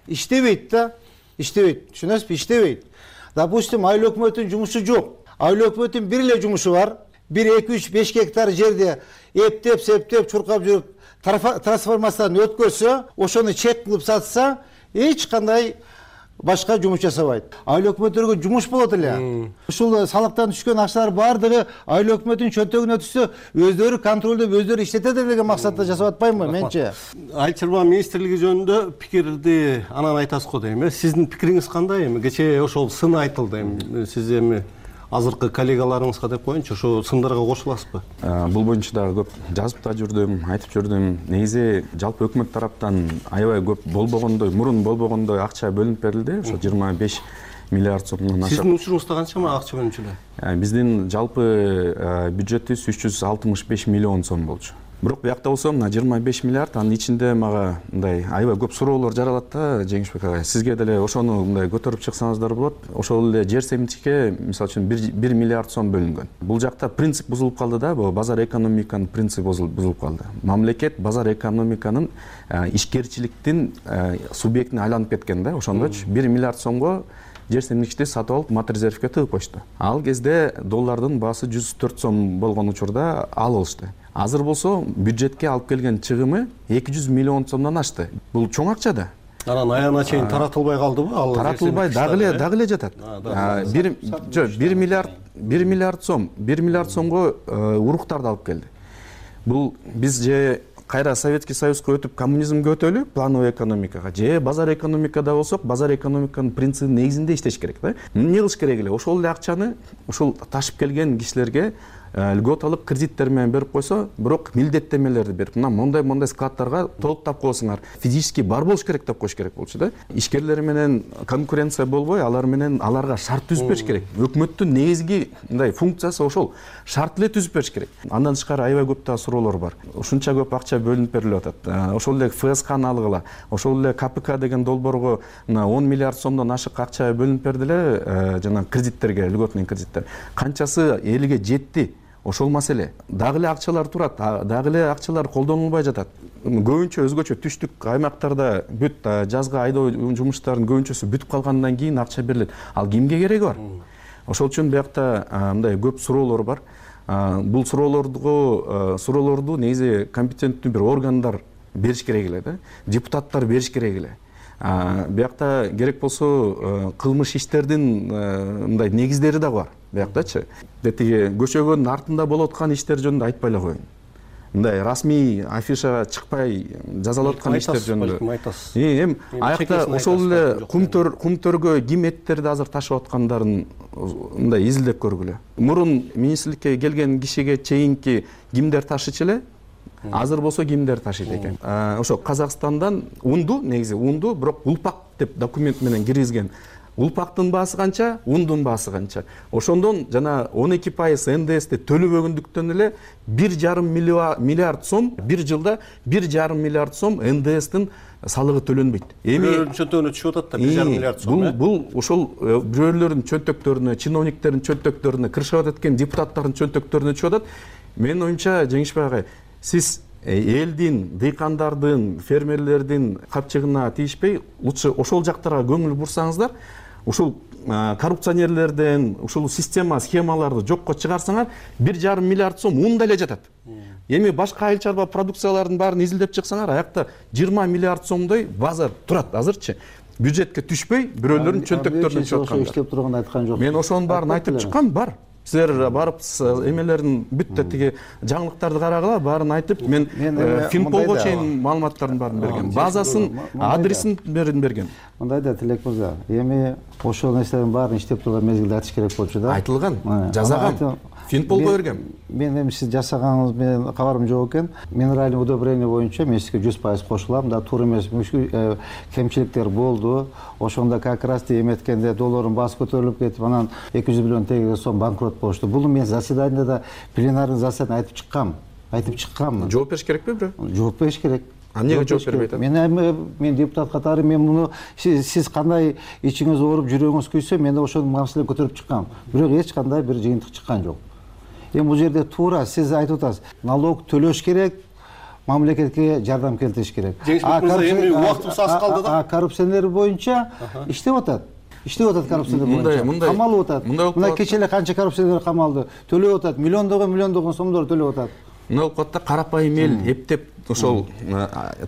Иштебейт да, иштебейт. Түшүнөсүзбү? Иштебейт. Допустим, айыл өкмөтүнүн жумушу жок. Айыл өкмөтүнүн бир эле жумушу бар. бир, эки, үч, беш гектар жерде эптеп, септеп, чуркап жүрүп, трансформациядан өткөрсө, ошону чек кылып сатса, эч кандай башка жумуш жасабайт. Айыл өкмөттөргө жумуш болот эле. Ушул салыктан түшкөн акчалар бардыгы айыл өкмөтүнүн чөнтөгүнө түшсө, өздөрү контролдоп, өздөрү иштетет деген максатта жасап атпаймынбы менче? Айыл чарба министрлиги жөнүндө пикирди анан айтасыз го дейм. Сиздин пикириңиз кандай? Эми кечээ ошол сын айтылды. Эми сиз эми азыркы коллегаларыңызга деп коеюнчу, ошо сындарга кошуласызбы? Бул боюнча дагы көп жазып да жүрдүм, айтып жүрдүм. Негизи жалпы өкмөт тараптан аябай көп болбогондой, мурун болбогондой акча бөлүнүп берилди. Ошо жыйырма беш миллиард сомдон ашык. Сиздин учуруңузда канча акча бөлүнчү эле? Биздин жалпы бюджетибиз үч жүз алтымыш беш миллион сом болчу. Бирок биякта болсо мына жыйырма беш миллиард, анын ичинде мага мындай аябай көп суроолор жаралат да, Жеңишбек агай. Сизге деле ошону мындай көтөрүп чыксаңыздар болот. Ошол эле жер семчикке мисалы үчүн бир миллиард сом бөлүнгөн. Бул жакта принцип бузулуп калды да, бул базар экономиканын принципи бузулуп калды. Мамлекет базар экономиканын ишкерчиликтин субъектине айланып кеткен да, ошондочу бир миллиард сомго жер семчикти сатып алып мат резервге тыгып коюшту. Ал кезде доллардын баасы жүз төрт сом болгон учурда ал алышты. Азыр болсо бюджетке алып келген чыгымы эки жүз миллион сомдон ашты. Бул чоң акча да. Анан аягына чейин таратылбай калдыбы? Ал таратылбай дагы эле дагы эле жатат. бир бир миллиард бир миллиард сом, бир миллиард сомго уруктарды алып келди. Бул биз же кайра Советский Союзга өтүп коммунизмге өтөлү, плановый экономикага, же базар экономикада болсок, базар экономиканын принцибинин негизинде иштеш керек да. Эмне кылыш керек эле? Ошол эле акчаны ушул ташып келген кишилерге льгот алып кредиттер менен берип койсо, бирок милдеттемелерди берип, мына мондай мондай складтарга толуктап коесуңар, физически бар болуш керек деп коюш керек болчу да. Ишкерлер менен конкуренция болбой, алар менен аларга шарт түзүп бериш керек. Өкмөттүн негизги мындай функциясы ошол, шарт эле түзүп бериш керек. Андан тышкары аябай көп да суроолор бар. Ушунча көп акча бөлүнүп берилип атат. Ошол эле эф эс каны алгыла, ошол эле ка пэ ка деген долбоорго мына он миллиард сомдон ашык акча бөлүнүп берди эле, жана кредиттерге, льготный кредиттер. Канчасы элге жетти? Ошол маселе. Дагы эле акчалар турат, дагы эле акчалар колдонулбай жатат. Көбүнчө өзгөчө түштүк аймактарда бүт жазгы айдоо жумуштарынын көбүнчөсү бүтүп калгандан кийин акча берилет. Ал кимге кереги бар? Ошол үчүн биякта мындай көп суроолор бар. Бул суроолорду суроолорду негизи компетенттүү бир органдар бериш керек эле да. Депутаттар бериш керек эле. Биякта керек болсо кылмыш иштердин мындай негиздери да бар. Бияктачы. Тиги көчөгөнүн артында болуп аткан иштер жөнүндө айтпай эле коеюн. Мындай расмий афишага чыкпай жазалап аткан иштер жөнүндө. Эми аякта ошол эле кумтөр кумтөргө ким эттерди азыр ташып аткандарын мындай изилдеп көргүлө. Мурун министрликке келген кишиге чейинки кимдер ташычу эле? Азыр болсо кимдер ташыйт экен? Ошо Казакстандан унду, негизи унду, бирок улпак деп документ менен киргизген. Улпактын баасы канча, ундун баасы канча. Ошондон жана он эки пайыз эн дэ эсти төлөбөгөндүктөн эле бир жарым миллиард сом, бир жылда бир жарым миллиард сом эн дэ эстин салыгы төлөнбөйт. Эми чөнтөгүнө түшүп атат да бир жарым миллиард сом. Бул бул ошол бирөөлөрдүн чөнтөктөрүнө, чиновниктердин чөнтөктөрүнө, кыршап аткан депутаттардын чөнтөктөрүнө түшүп атат. Менин оюмча, Жеңишбек агай, сиз элдин, дыйкандардын, фермерлердин капчыгына тийишпей, лучше ошол жактарга көңүл бурсаңыздар, ушул коррупционерлерден, ушул система, схемаларды жокко чыгарсаңар, бир жарым миллиард сом унда эле жатат. Эми башка айыл чарба продукциялардын баарын изилдеп чыксаңар, аякта жыйырма миллиард сомдой базар турат азырчы. Бюджетке түшпөй, бирөөлөрдүн чөнтөктөрүнө түшүп аткандар. Иштеп турганын айткан жокмун. Мен ошонун баарын айтып чыккам, бар. Силер барып эмелерин бүт тиги жаңылыктарды карагыла, баарын айтып, мен Финполго чейин маалыматтардын баарын берген. Базасын, адресин берген. Мындай да, Тилек мырза, эми ошол нерселердин баарын иштеп турган мезгилде айтыш керек болчу да. Айтылган, жазаган. Финполго берген. Мен эми сиз жасаганыңыз менен кабарым жок экен. Минеральный удобрение боюнча мен сизге жүз пайыз кошулам. Да, туура эмес, кемчиликтер болду. Ошондо как раз эметкенде доллардын баасы көтөрүлүп кетип, анан эки жүз миллион теңгеге сом банкрот болушту. Бул мен заседанияда, пленарный заседанияда айтып чыккам. Айтып чыккам. Жооп бериш керекпи бирөө? Жооп бериш керек. А эмнеге жооп бербей атат? Мен мен депутат катары, мен муну сиз кандай ичиңиз ооруп, жүрөгүңүз күйсө, мен да ошонун маселени көтөрүп чыккам. Бирок эч кандай бир жыйынтык чыккан жок. Эми бул жерде туура сиз айтып атасыз, налог төлөш керек, мамлекетке жардам келтириш керек. Жеңишбек мырза, эми убактыбыз аз калды да. А коррупционер боюнча иштеп атат. Иштеп атат коррупционер боюнча. Камалып атат. Мына кече эле канча коррупционер камалды. Төлөп атат, миллиондогон миллиондогон сомдор төлөп атат. Мына укатта карапайым эл эптеп ошол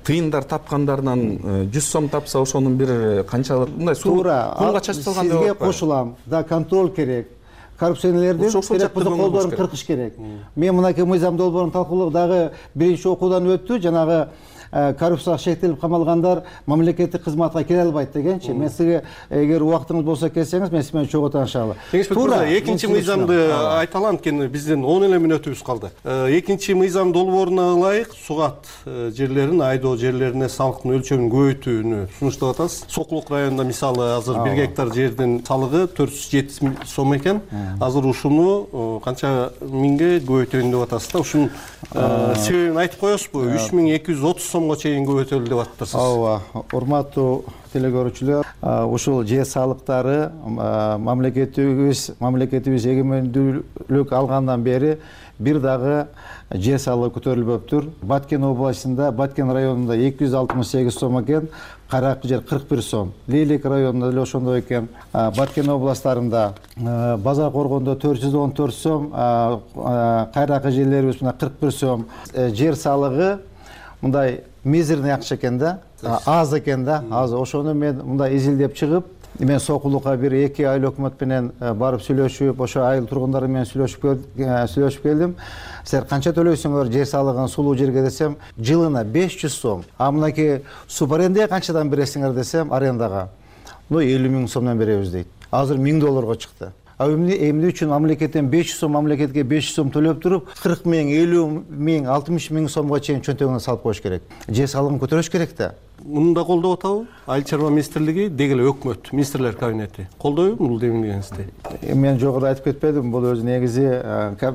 тыйындар тапкандарынан жүз сом тапса, ошонун бир канчалык мындай туура кумга чачып салган деп сизге кошулам. Да, контроль керек. Коррупционерлердин керек болсо колдорун кыркыш керек. Мен мынакей мыйзам долбоорун талкуулап дагы биринчи окуудан өттү. Жанагы коррупцияга шектелип камалгандар мамлекеттик кызматка келе албайт дегенчи. Мен сизге эгер убактыңыз болсо келсеңиз, мен сиз менен чогуу таанышалы. Жеңишбек мырза, экинчи мыйзамды айталам, анткени биздин он эле мүнөтүбүз калды. Экинчи мыйзам долбооруна ылайык сугат жерлерин, айдоо жерлерине салыктын өлчөмүн көбөйтүүнү сунуштап атасыз. Сокулук районунда мисалы азыр бир гектар жердин салыгы төрт жүз жетимиш сом экен. Азыр ушуну канча миңге көбөйтөйүн деп атасыз да. Ушунун себебин айтып коесузбу? үч миң эки жүз отуз сомго чейин көбөйтөлү деп атыптырсыз. Ооба, урматтуу телекөрүүчүлөр, ушул жер салыктары мамлекетибиз мамлекетибиз эгемендүүлүк алгандан бери бир дагы жер салыгы көтөрүлбөптүр. Баткен областында, Баткен районунда эки жүз алтымыш сегиз сом экен, Каракы жер кырк бир сом. Лейлек районунда деле ошондой экен. Баткен областарында, Базар Коргондо төрт жүз он төрт сом, кайракы жерлерибиз мына кырк бир сом. Жер салыгы мындай мизерный акча экен да, аз экен да, аз. Ошону мен мындай изилдеп чыгып, мен сокулукка бир эки айыл өкмөт менен барып сүйлөшүп, ошо айыл тургундары менен сүйлөшүп сүйлөшүп келдим. Силер канча төлөйсүңөр жер салыгын сулуу жерге десем, жылына беш жүз сом. А мынакей субарендага канчадан бересиңер десем, арендага. Ну элүү миң сомдон беребиз дейт. Азыр миң долларга чыкты. А эмне үчүн мамлекеттен беш жүз сом, мамлекетке беш жүз сом төлөп туруп, кырк миң, элүү миң, алтымыш миң сомго чейин чөнтөгүнө салып коюш керек. Жер салыгын көтөрүш керек да. Муну да колдоп атабы? Айыл чарба министрлиги деги эле өкмөт, министрлер кабинети колдойбу бул демилгениңизди? Мен жогоруда айтып кетпедим, бул өзү негизи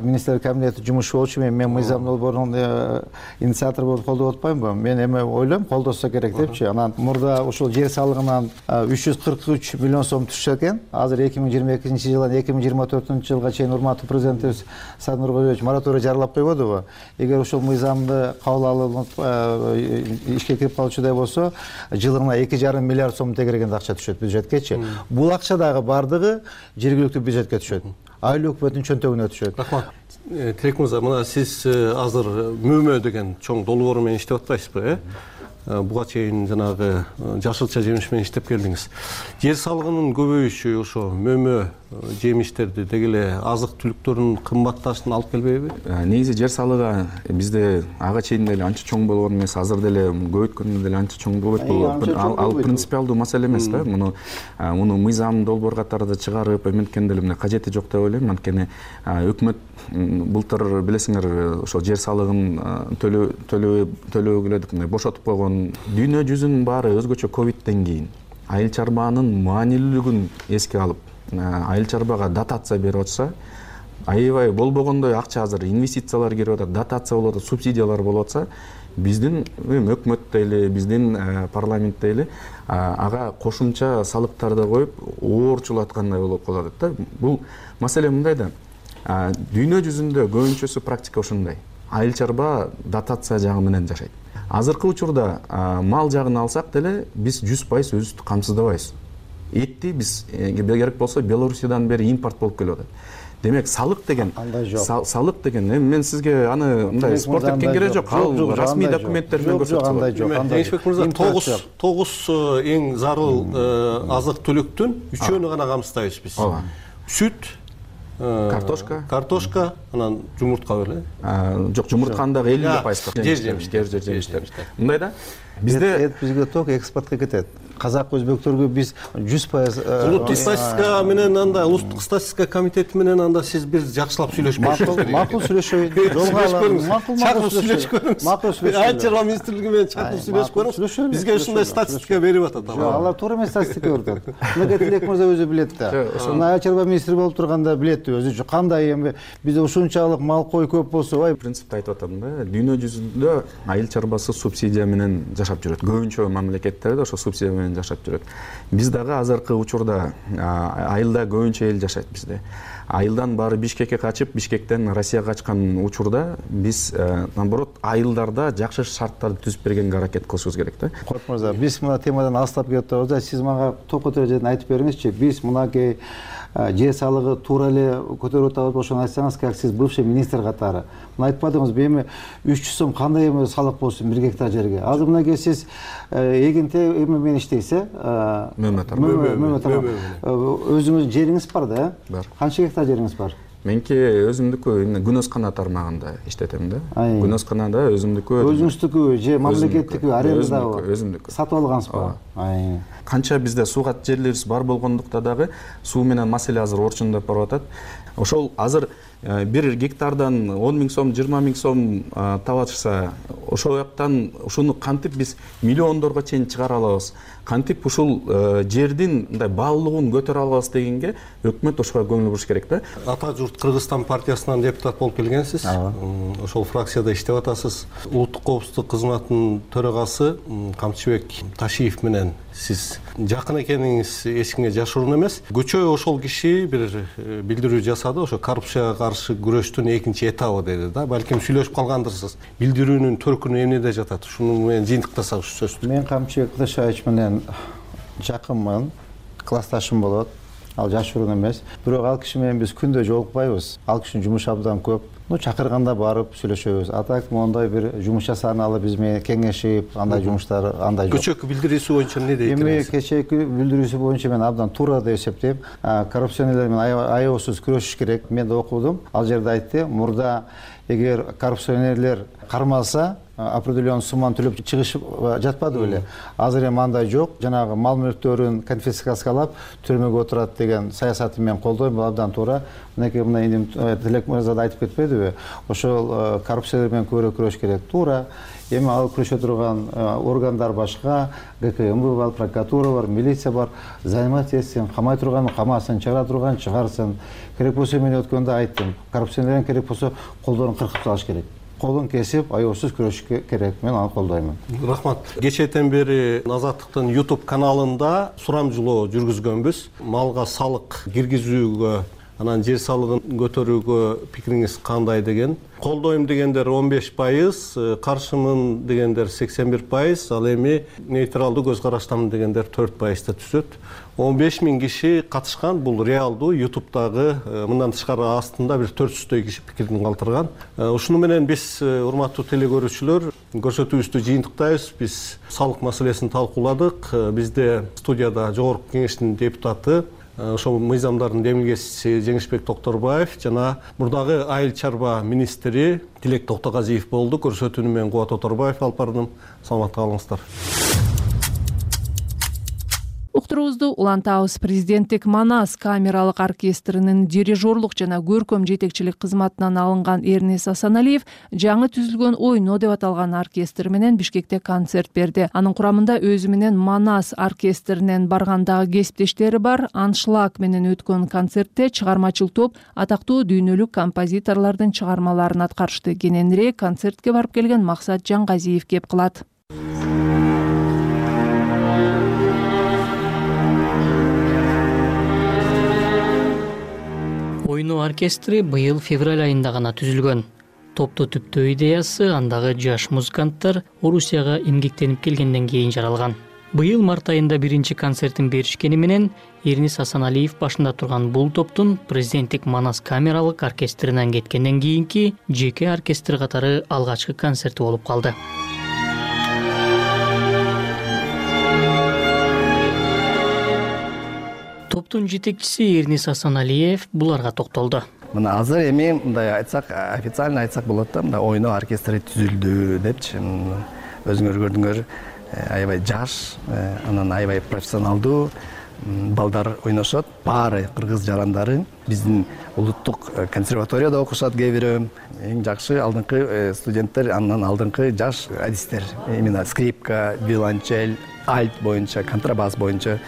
министрлер кабинети жумушу болчу. Мен мен мыйзам долбоорунун инициатор болуп колдоп атпаймынбы? Мен эме ойлойм, колдосо керек депчи. Анан мурда ушул жер салыгынан үч жүз кырк үч миллион сом түшсө экен. Азыр эки миң жыйырма экинчи жылдан эки миң жыйырма төртүнчү жылга чейин урматтуу президентибиз Садыр Нуркалиевич мораторий жарыялап койбодубу? Эгер ушул мыйзамды кабыл алынып ишке кирип калчудай болсо, жылына эки жарым миллиард сом тегерегенде акча түшөт бюджеткечи. Бул акча дагы бардыгы жергиликтүү бюджетке түшөт. Айыл өкмөттүн чөнтөгүнө түшөт. Рахмат. Тилек мырза, мына сиз азыр мөмө деген чоң долбоору менен иштеп атпайсызбы, э? Буга чейин жанагы жашылча жемиш менен иштеп келдиңиз. Жер салыгынын көбөйүшү ошо мөмө жемиштерди деги эле азык түлүктөрдүн кымбатташына алып келбейби? Негизи жер салыгы бизде ага чейин деле анча чоң болгон эмес, азыр деле көбөйткөндө деле анча чоң болбойт. Бул ал принципиалдуу маселе эмес да. Муну муну мыйзам долбоор катарында чыгарып эметкенде эле кажети жок деп ойлойм. Анткени өкмөт былтыр билесиңер ошо жер салыгын төлөөгө бошотуп койгон. Дүйнө жүзүнүн баары өзгөчө ковидтен кийин айыл чарбанын маанилүүлүгүн эске алып, айыл чарбага дотация берип атса, аябай болбогондой акча азыр инвестициялар кирип атат, дотация болуп атат, субсидиялар болуп атса, биздин өкмөт дейли, биздин парламент дейли ага кошумча салыктарды коюп оорчулаткандай болуп калат да. Бул маселе мындай да. Дүйнө жүзүндө көбүнчөсү практика ошондой. Айыл чарба дотация жагы менен жашайт. Азыркы учурда мал жагын алсак деле биз жүз пайыз өзүбүздү камсыздабайбыз. Этти биз керек болсо Белоруссиядан бери импорт болуп келип атат. Демек салык деген салык деген мен сизге аны мындай спорт эткен кереги жок. Ал расмий документтер менен көрсөтүлөт. Кеңешбек мырза, тогуз тогуз эң зарыл азык түлүктүн үчөөнү гана камсыздайбыз биз. Сүт, картошка, картошка, анан жумуртка беле? Жок, жумуртканы дагы элүү пайыз. Жер жемиштер, жер жемиштер. Мындай да. Бизде эт бизге ток экспортко кетет. Казак өзбектөргө биз жүз пайыз улуттук статистика менен анда улуттук статистика комитети менен анда сиз бир жакшылап сүйлөшүп көрүңүз. Макул сүйлөшөйүн. Макул макул сүйлөшүп көрүңүз. Макул сүйлөшүп. Айыл чарба министрлиги менен чакырып сүйлөшүп көрүңүз. Бизге ушундай статистика берип атат. Жок, алар туура эмес статистика берип атат. Мына Тилек мырза өзү билет да. Ошону айыл чарба министри болуп турганда билет өзү кандай эми бизде ушунчалык мал кой көп болсо, ой, принципти айтып атам да. Дүйнө жүзүндө айыл чарбасы субсидия менен жашап жүрөт. Көбүнчө мамлекеттерде ошо субсидия менен жашап жүрөт. Биз дагы азыркы учурда айылда көбүнчө эл жашайт бизде. Айылдан баары Бишкекке качып, Бишкектен Россияга качкан учурда биз наоборот айылдарда жакшы шарттарды түзүп бергенге аракет кылышыбыз керек да. Корт мырза, биз мына темадан алыстап кетип атабыз. Сиз мага ток көтөрө жерден айтып бериңизчи. Биз мынакей жер салыгы туура эле көтөрүп атабыз, ошону айтсаңыз, как сиз бывший министр катары. Мына айтып атыңыз, эми үч жүз сом кандай эми салык болсун бир гектар жерге. Азыр мынакей сиз эгинте эме менен иштейсиз, э? Мөмө тармак. Өзүңүздүн жериңиз бар да, э? Бар. Канча гектар жериңиз бар? Меники өзүмдүкү күнөскана тармагында иштетем да. Күнөсканада өзүмдүкү. Өзүңүздүкү же мамлекеттики арендадабы? Өзүмдүкү. Сатып алгансызбы? Канча бизде сууга жерлерибиз бар болгондукта дагы суу менен маселе азыр орчундап барып атат. Ошол азыр бир гектардан он миң сом, жыйырма миң сом табачса, ошол жактан ушуну кантип биз миллиондорго чейин чыгара алабыз? Кантип ушул жердин мындай баалуулугун көтөрө алабыз дегенге өкмөт ошого көңүл буруш керек да. Ата журт Кыргызстан партиясынан депутат болуп келгенсиз. Ошол фракцияда иштеп атасыз. Улуттук коопсуздук кызматынын төрагасы Камчыбек Ташиев менен сиз жакын экениңиз эч кимге жашыруун эмес. Көчө ошол киши бир билдирүү жасады, ошо коррупцияга каршы күрөштүн экинчи этабы деди да. Балким сүйлөшүп калгандырсыз. Билдирүүнүн төркүнү эмнеде жатат? Ушуну менен жыйынтыктасак ушу сөздү. Мен Камчыбек Ташиевич менен жакынмын, классташым болот. ал жашыруун эмес. Бирок ал киши менен биз күндө жолукпайбыз. Ал кишинин жумушу абдан көп. Ну чакырганда барып сүйлөшөбүз. Атак моундай бир жумуш жасаганалы биз менен кеңешип, андай жумуштар андай жок. Кечээки билдирүүсү боюнча эмне дейт? Эми кечээки билдирүүсү боюнча мен абдан туура деп эсептейм. Коррупционерлер менен аябасыз күрөшүш керек. Мен да окудум. Ал жерде айтты, мурда эгер коррупционерлер кармалса, определенный сумманы төлөп чыгышып жатпады беле. Азыр эми андай жок. Жанагы мал мүлктөрүн конфискациялап түрмөгө отурат деген саясатты мен колдойм. Бул абдан туура. Мынакей мына эми Тилек мырза да айтып кетпедиби? Ошол коррупциялар менен көбүрөөк күрөш керек. Туура. Эми ал күрөшө турган органдар башка, ГКМБ бар, прокуратура бар, милиция бар. Займат этсин, камай турган камасын, чыгара турган чыгарсын. Керек болсо мен өткөндө айттым. Коррупционерлерден керек болсо колдорун кыркып салыш керек. Колун кесип, аябсыз күрөшүш керек. Мен аны колдоймун. Рахмат. Кечээден бери Азаттыктын YouTube каналында сурамжылоо жүргүзгөнбүз. Малга салык киргизүүгө, анан жер салыгын көтөрүүгө пикириңиз кандай деген. Колдойм дегендер он беш пайыз, каршымын дегендер сексен бир пайыз, ал эми нейтралдуу көз караштамын дегендер төрт пайызда түзөт. он беш миң киши катышкан, бул реалдуу. YouTube'дагы мындан тышкары астында бир төрт жүздөй киши пикирин калтырган. Ушуну менен биз, урматтуу телекөрүүчүлөр, көрсөтүүбүздү жыйынтыктайбыз. Биз салык маселесин талкууладык. Бизде студияда жогорку кеңештин депутаты, ошол мыйзамдардын демилгечиси Жеңишбек Токторбаев жана мурдагы айыл чарба министри Тилек Токтогазиев болду. Көрсөтүүнү мен Кубат Оторбаев алып бардым. Саламатта калыңыздар. Уктуруубузду улантабыз. Президенттик Манас камералык оркестринин дирижерлук жана көркөм жетекчилик кызматынан алынган Эрнес Асаналиев жаңы түзүлгөн ойно деп аталган оркестр менен Бишкекте концерт берди. Анын курамында өзү менен Манас оркестринен баргандагы кесиптештери бар. Аншлаг менен өткөн концертте чыгармачыл топ атактуу дүйнөлүк композиторлордун чыгармаларын аткарышты. Кененирээк концертке барып келген Максат Жаңгазиев кеп кылат. Ойно оркестри быйыл февраль айында гана түзүлгөн. Топту түптөө идеясы андагы жаш музыканттар Орусияга эмгектенип келгенден кийин жаралган. Быйыл март айында биринчи концертин беришкени менен Эрнес Асаналиев башында турган бул топтун президенттик Манас камералык оркестринен кеткенден кийинки жеке оркестр катары алгачкы концерти болуп калды. Топтун жетекчиси Эрнес Асаналиев буларга токтолду. Мына азыр эми мындай айтсак, официально айтсак болот да, мында ойно оркестри түзүлдү депчи. Өзүңөр көрдүңөр, аябай жаш, анан аябай профессионалдуу балдар ойношот. Баары кыргыз жарандары. Биздин улуттук консерваторияда окушат кээ бирөө. Эң жакшы алдыңкы студенттер, андан алдыңкы жаш адистер. Именно скрипка, виолончель, альт боюнча, контрабас боюнча.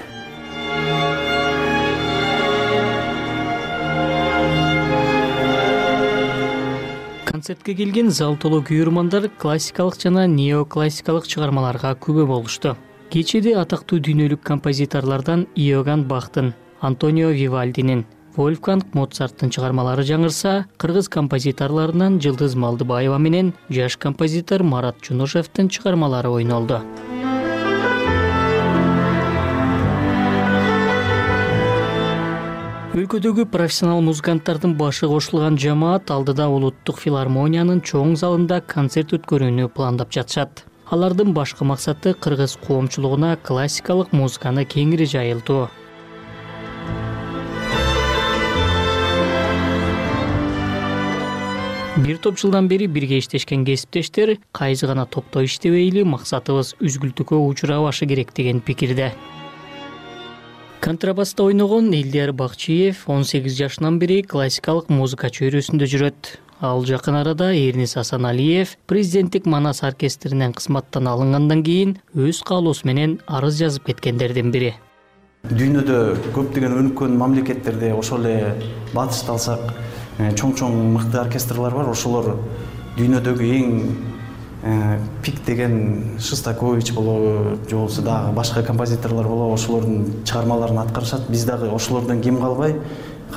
Концертке келген зал толо күйөрмандар классикалык жана неоклассикалык чыгармаларга күбө болушту. Кечеде атактуу дүйнөлүк композиторлордон Иоганн Бахтын, Антонио Вивальдинин, Вольфганг Моцарттын чыгармалары жаңырса, кыргыз композиторлорунан Жылдыз Малдыбаева менен жаш композитор Марат Жунушевдин чыгармалары ойнолду. Өлкөдөгү профессионал музыканттардын башы кошулган жамаат алдыда улуттук филармониянын чоң залында концерт өткөрүүнү пландап жатышат. Алардын башкы максаты кыргыз коомчулугуна классикалык музыканы кеңири жайылтуу. Бир топ жылдан бери бирге иштешкен кесиптештер кайсы гана топто иштебейли, максатыбыз үзгүлтүккө учурабашы керек деген пикирде. Контрабаста ойногон Элдияр Бакчиев он сегиз жашынан бери классикалык музыка чөйрөсүндө жүрөт. Ал жакын арада Эрнес Асаналиев президенттик Манас оркестринен кызматтан алынгандан кийин өз каалоосу менен арыз жазып кеткендердин бири. Дүйнөдө көптөгөн өнүккөн мамлекеттерде ошол эле батышты алсак, чоң-чоң мыкты оркестрлар бар. Ошолор дүйнөдөгү эң пик деген Шостакович болобу, же болбосо дагы башка композиторлор болобу, ошолордун чыгармаларын аткарышат. Биз дагы ошолордон кем калбай,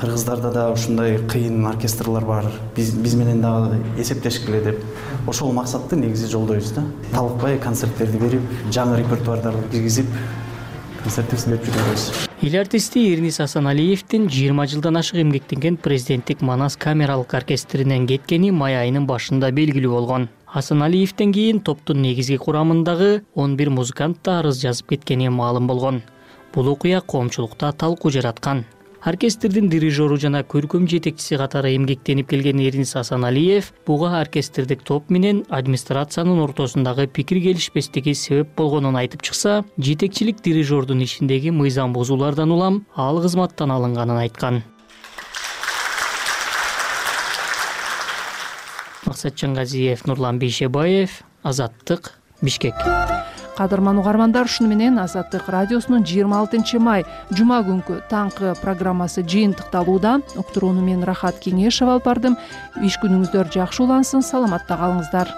кыргыздарда да ушундай кыйын оркестрлар бар. Биз биз менен дагы эсептешкиле деп ошол максатты негизи жолдойбуз да. Талыкпай концерттерди берип, жаңы репертуардарды киргизип, концертибизди берип жүрөбүз. Эл артисти Эрнис Асаналиевдин жыйырма жылдан ашык эмгектенген президенттик Манас камералык оркестринен кеткени май айынын башында белгилүү болгон. Асаналиевден кийин топтун негизги курамындагы он бир музыкант да арыз жазып кеткени маалым болгон. Бул окуя коомчулукта талкуу жараткан. Оркестрдин дирижеру жана көркөм жетекчиси катары эмгектенип келген Эрнис Асаналиев буга оркестрдик топ менен администрациянын ортосундагы пикир келишпестиги себеп болгонун айтып чыкса, жетекчилик дирижердун ишиндеги мыйзам бузуулардан улам ал кызматтан алынганын айткан. Максатжан Газиев, Нурлан Бейшебаев, Азаттык, Бишкек. Кадырман угармандар, ушуну менен Азаттык радиосунун жыйырма алтынчы май жума күнкү таңкы программасы жыйынтыкталууда. Уктурууну мен Рахат Кеңешева алып бардым. Иш күнүңүздөр жакшы улансын, саламатта калыңыздар.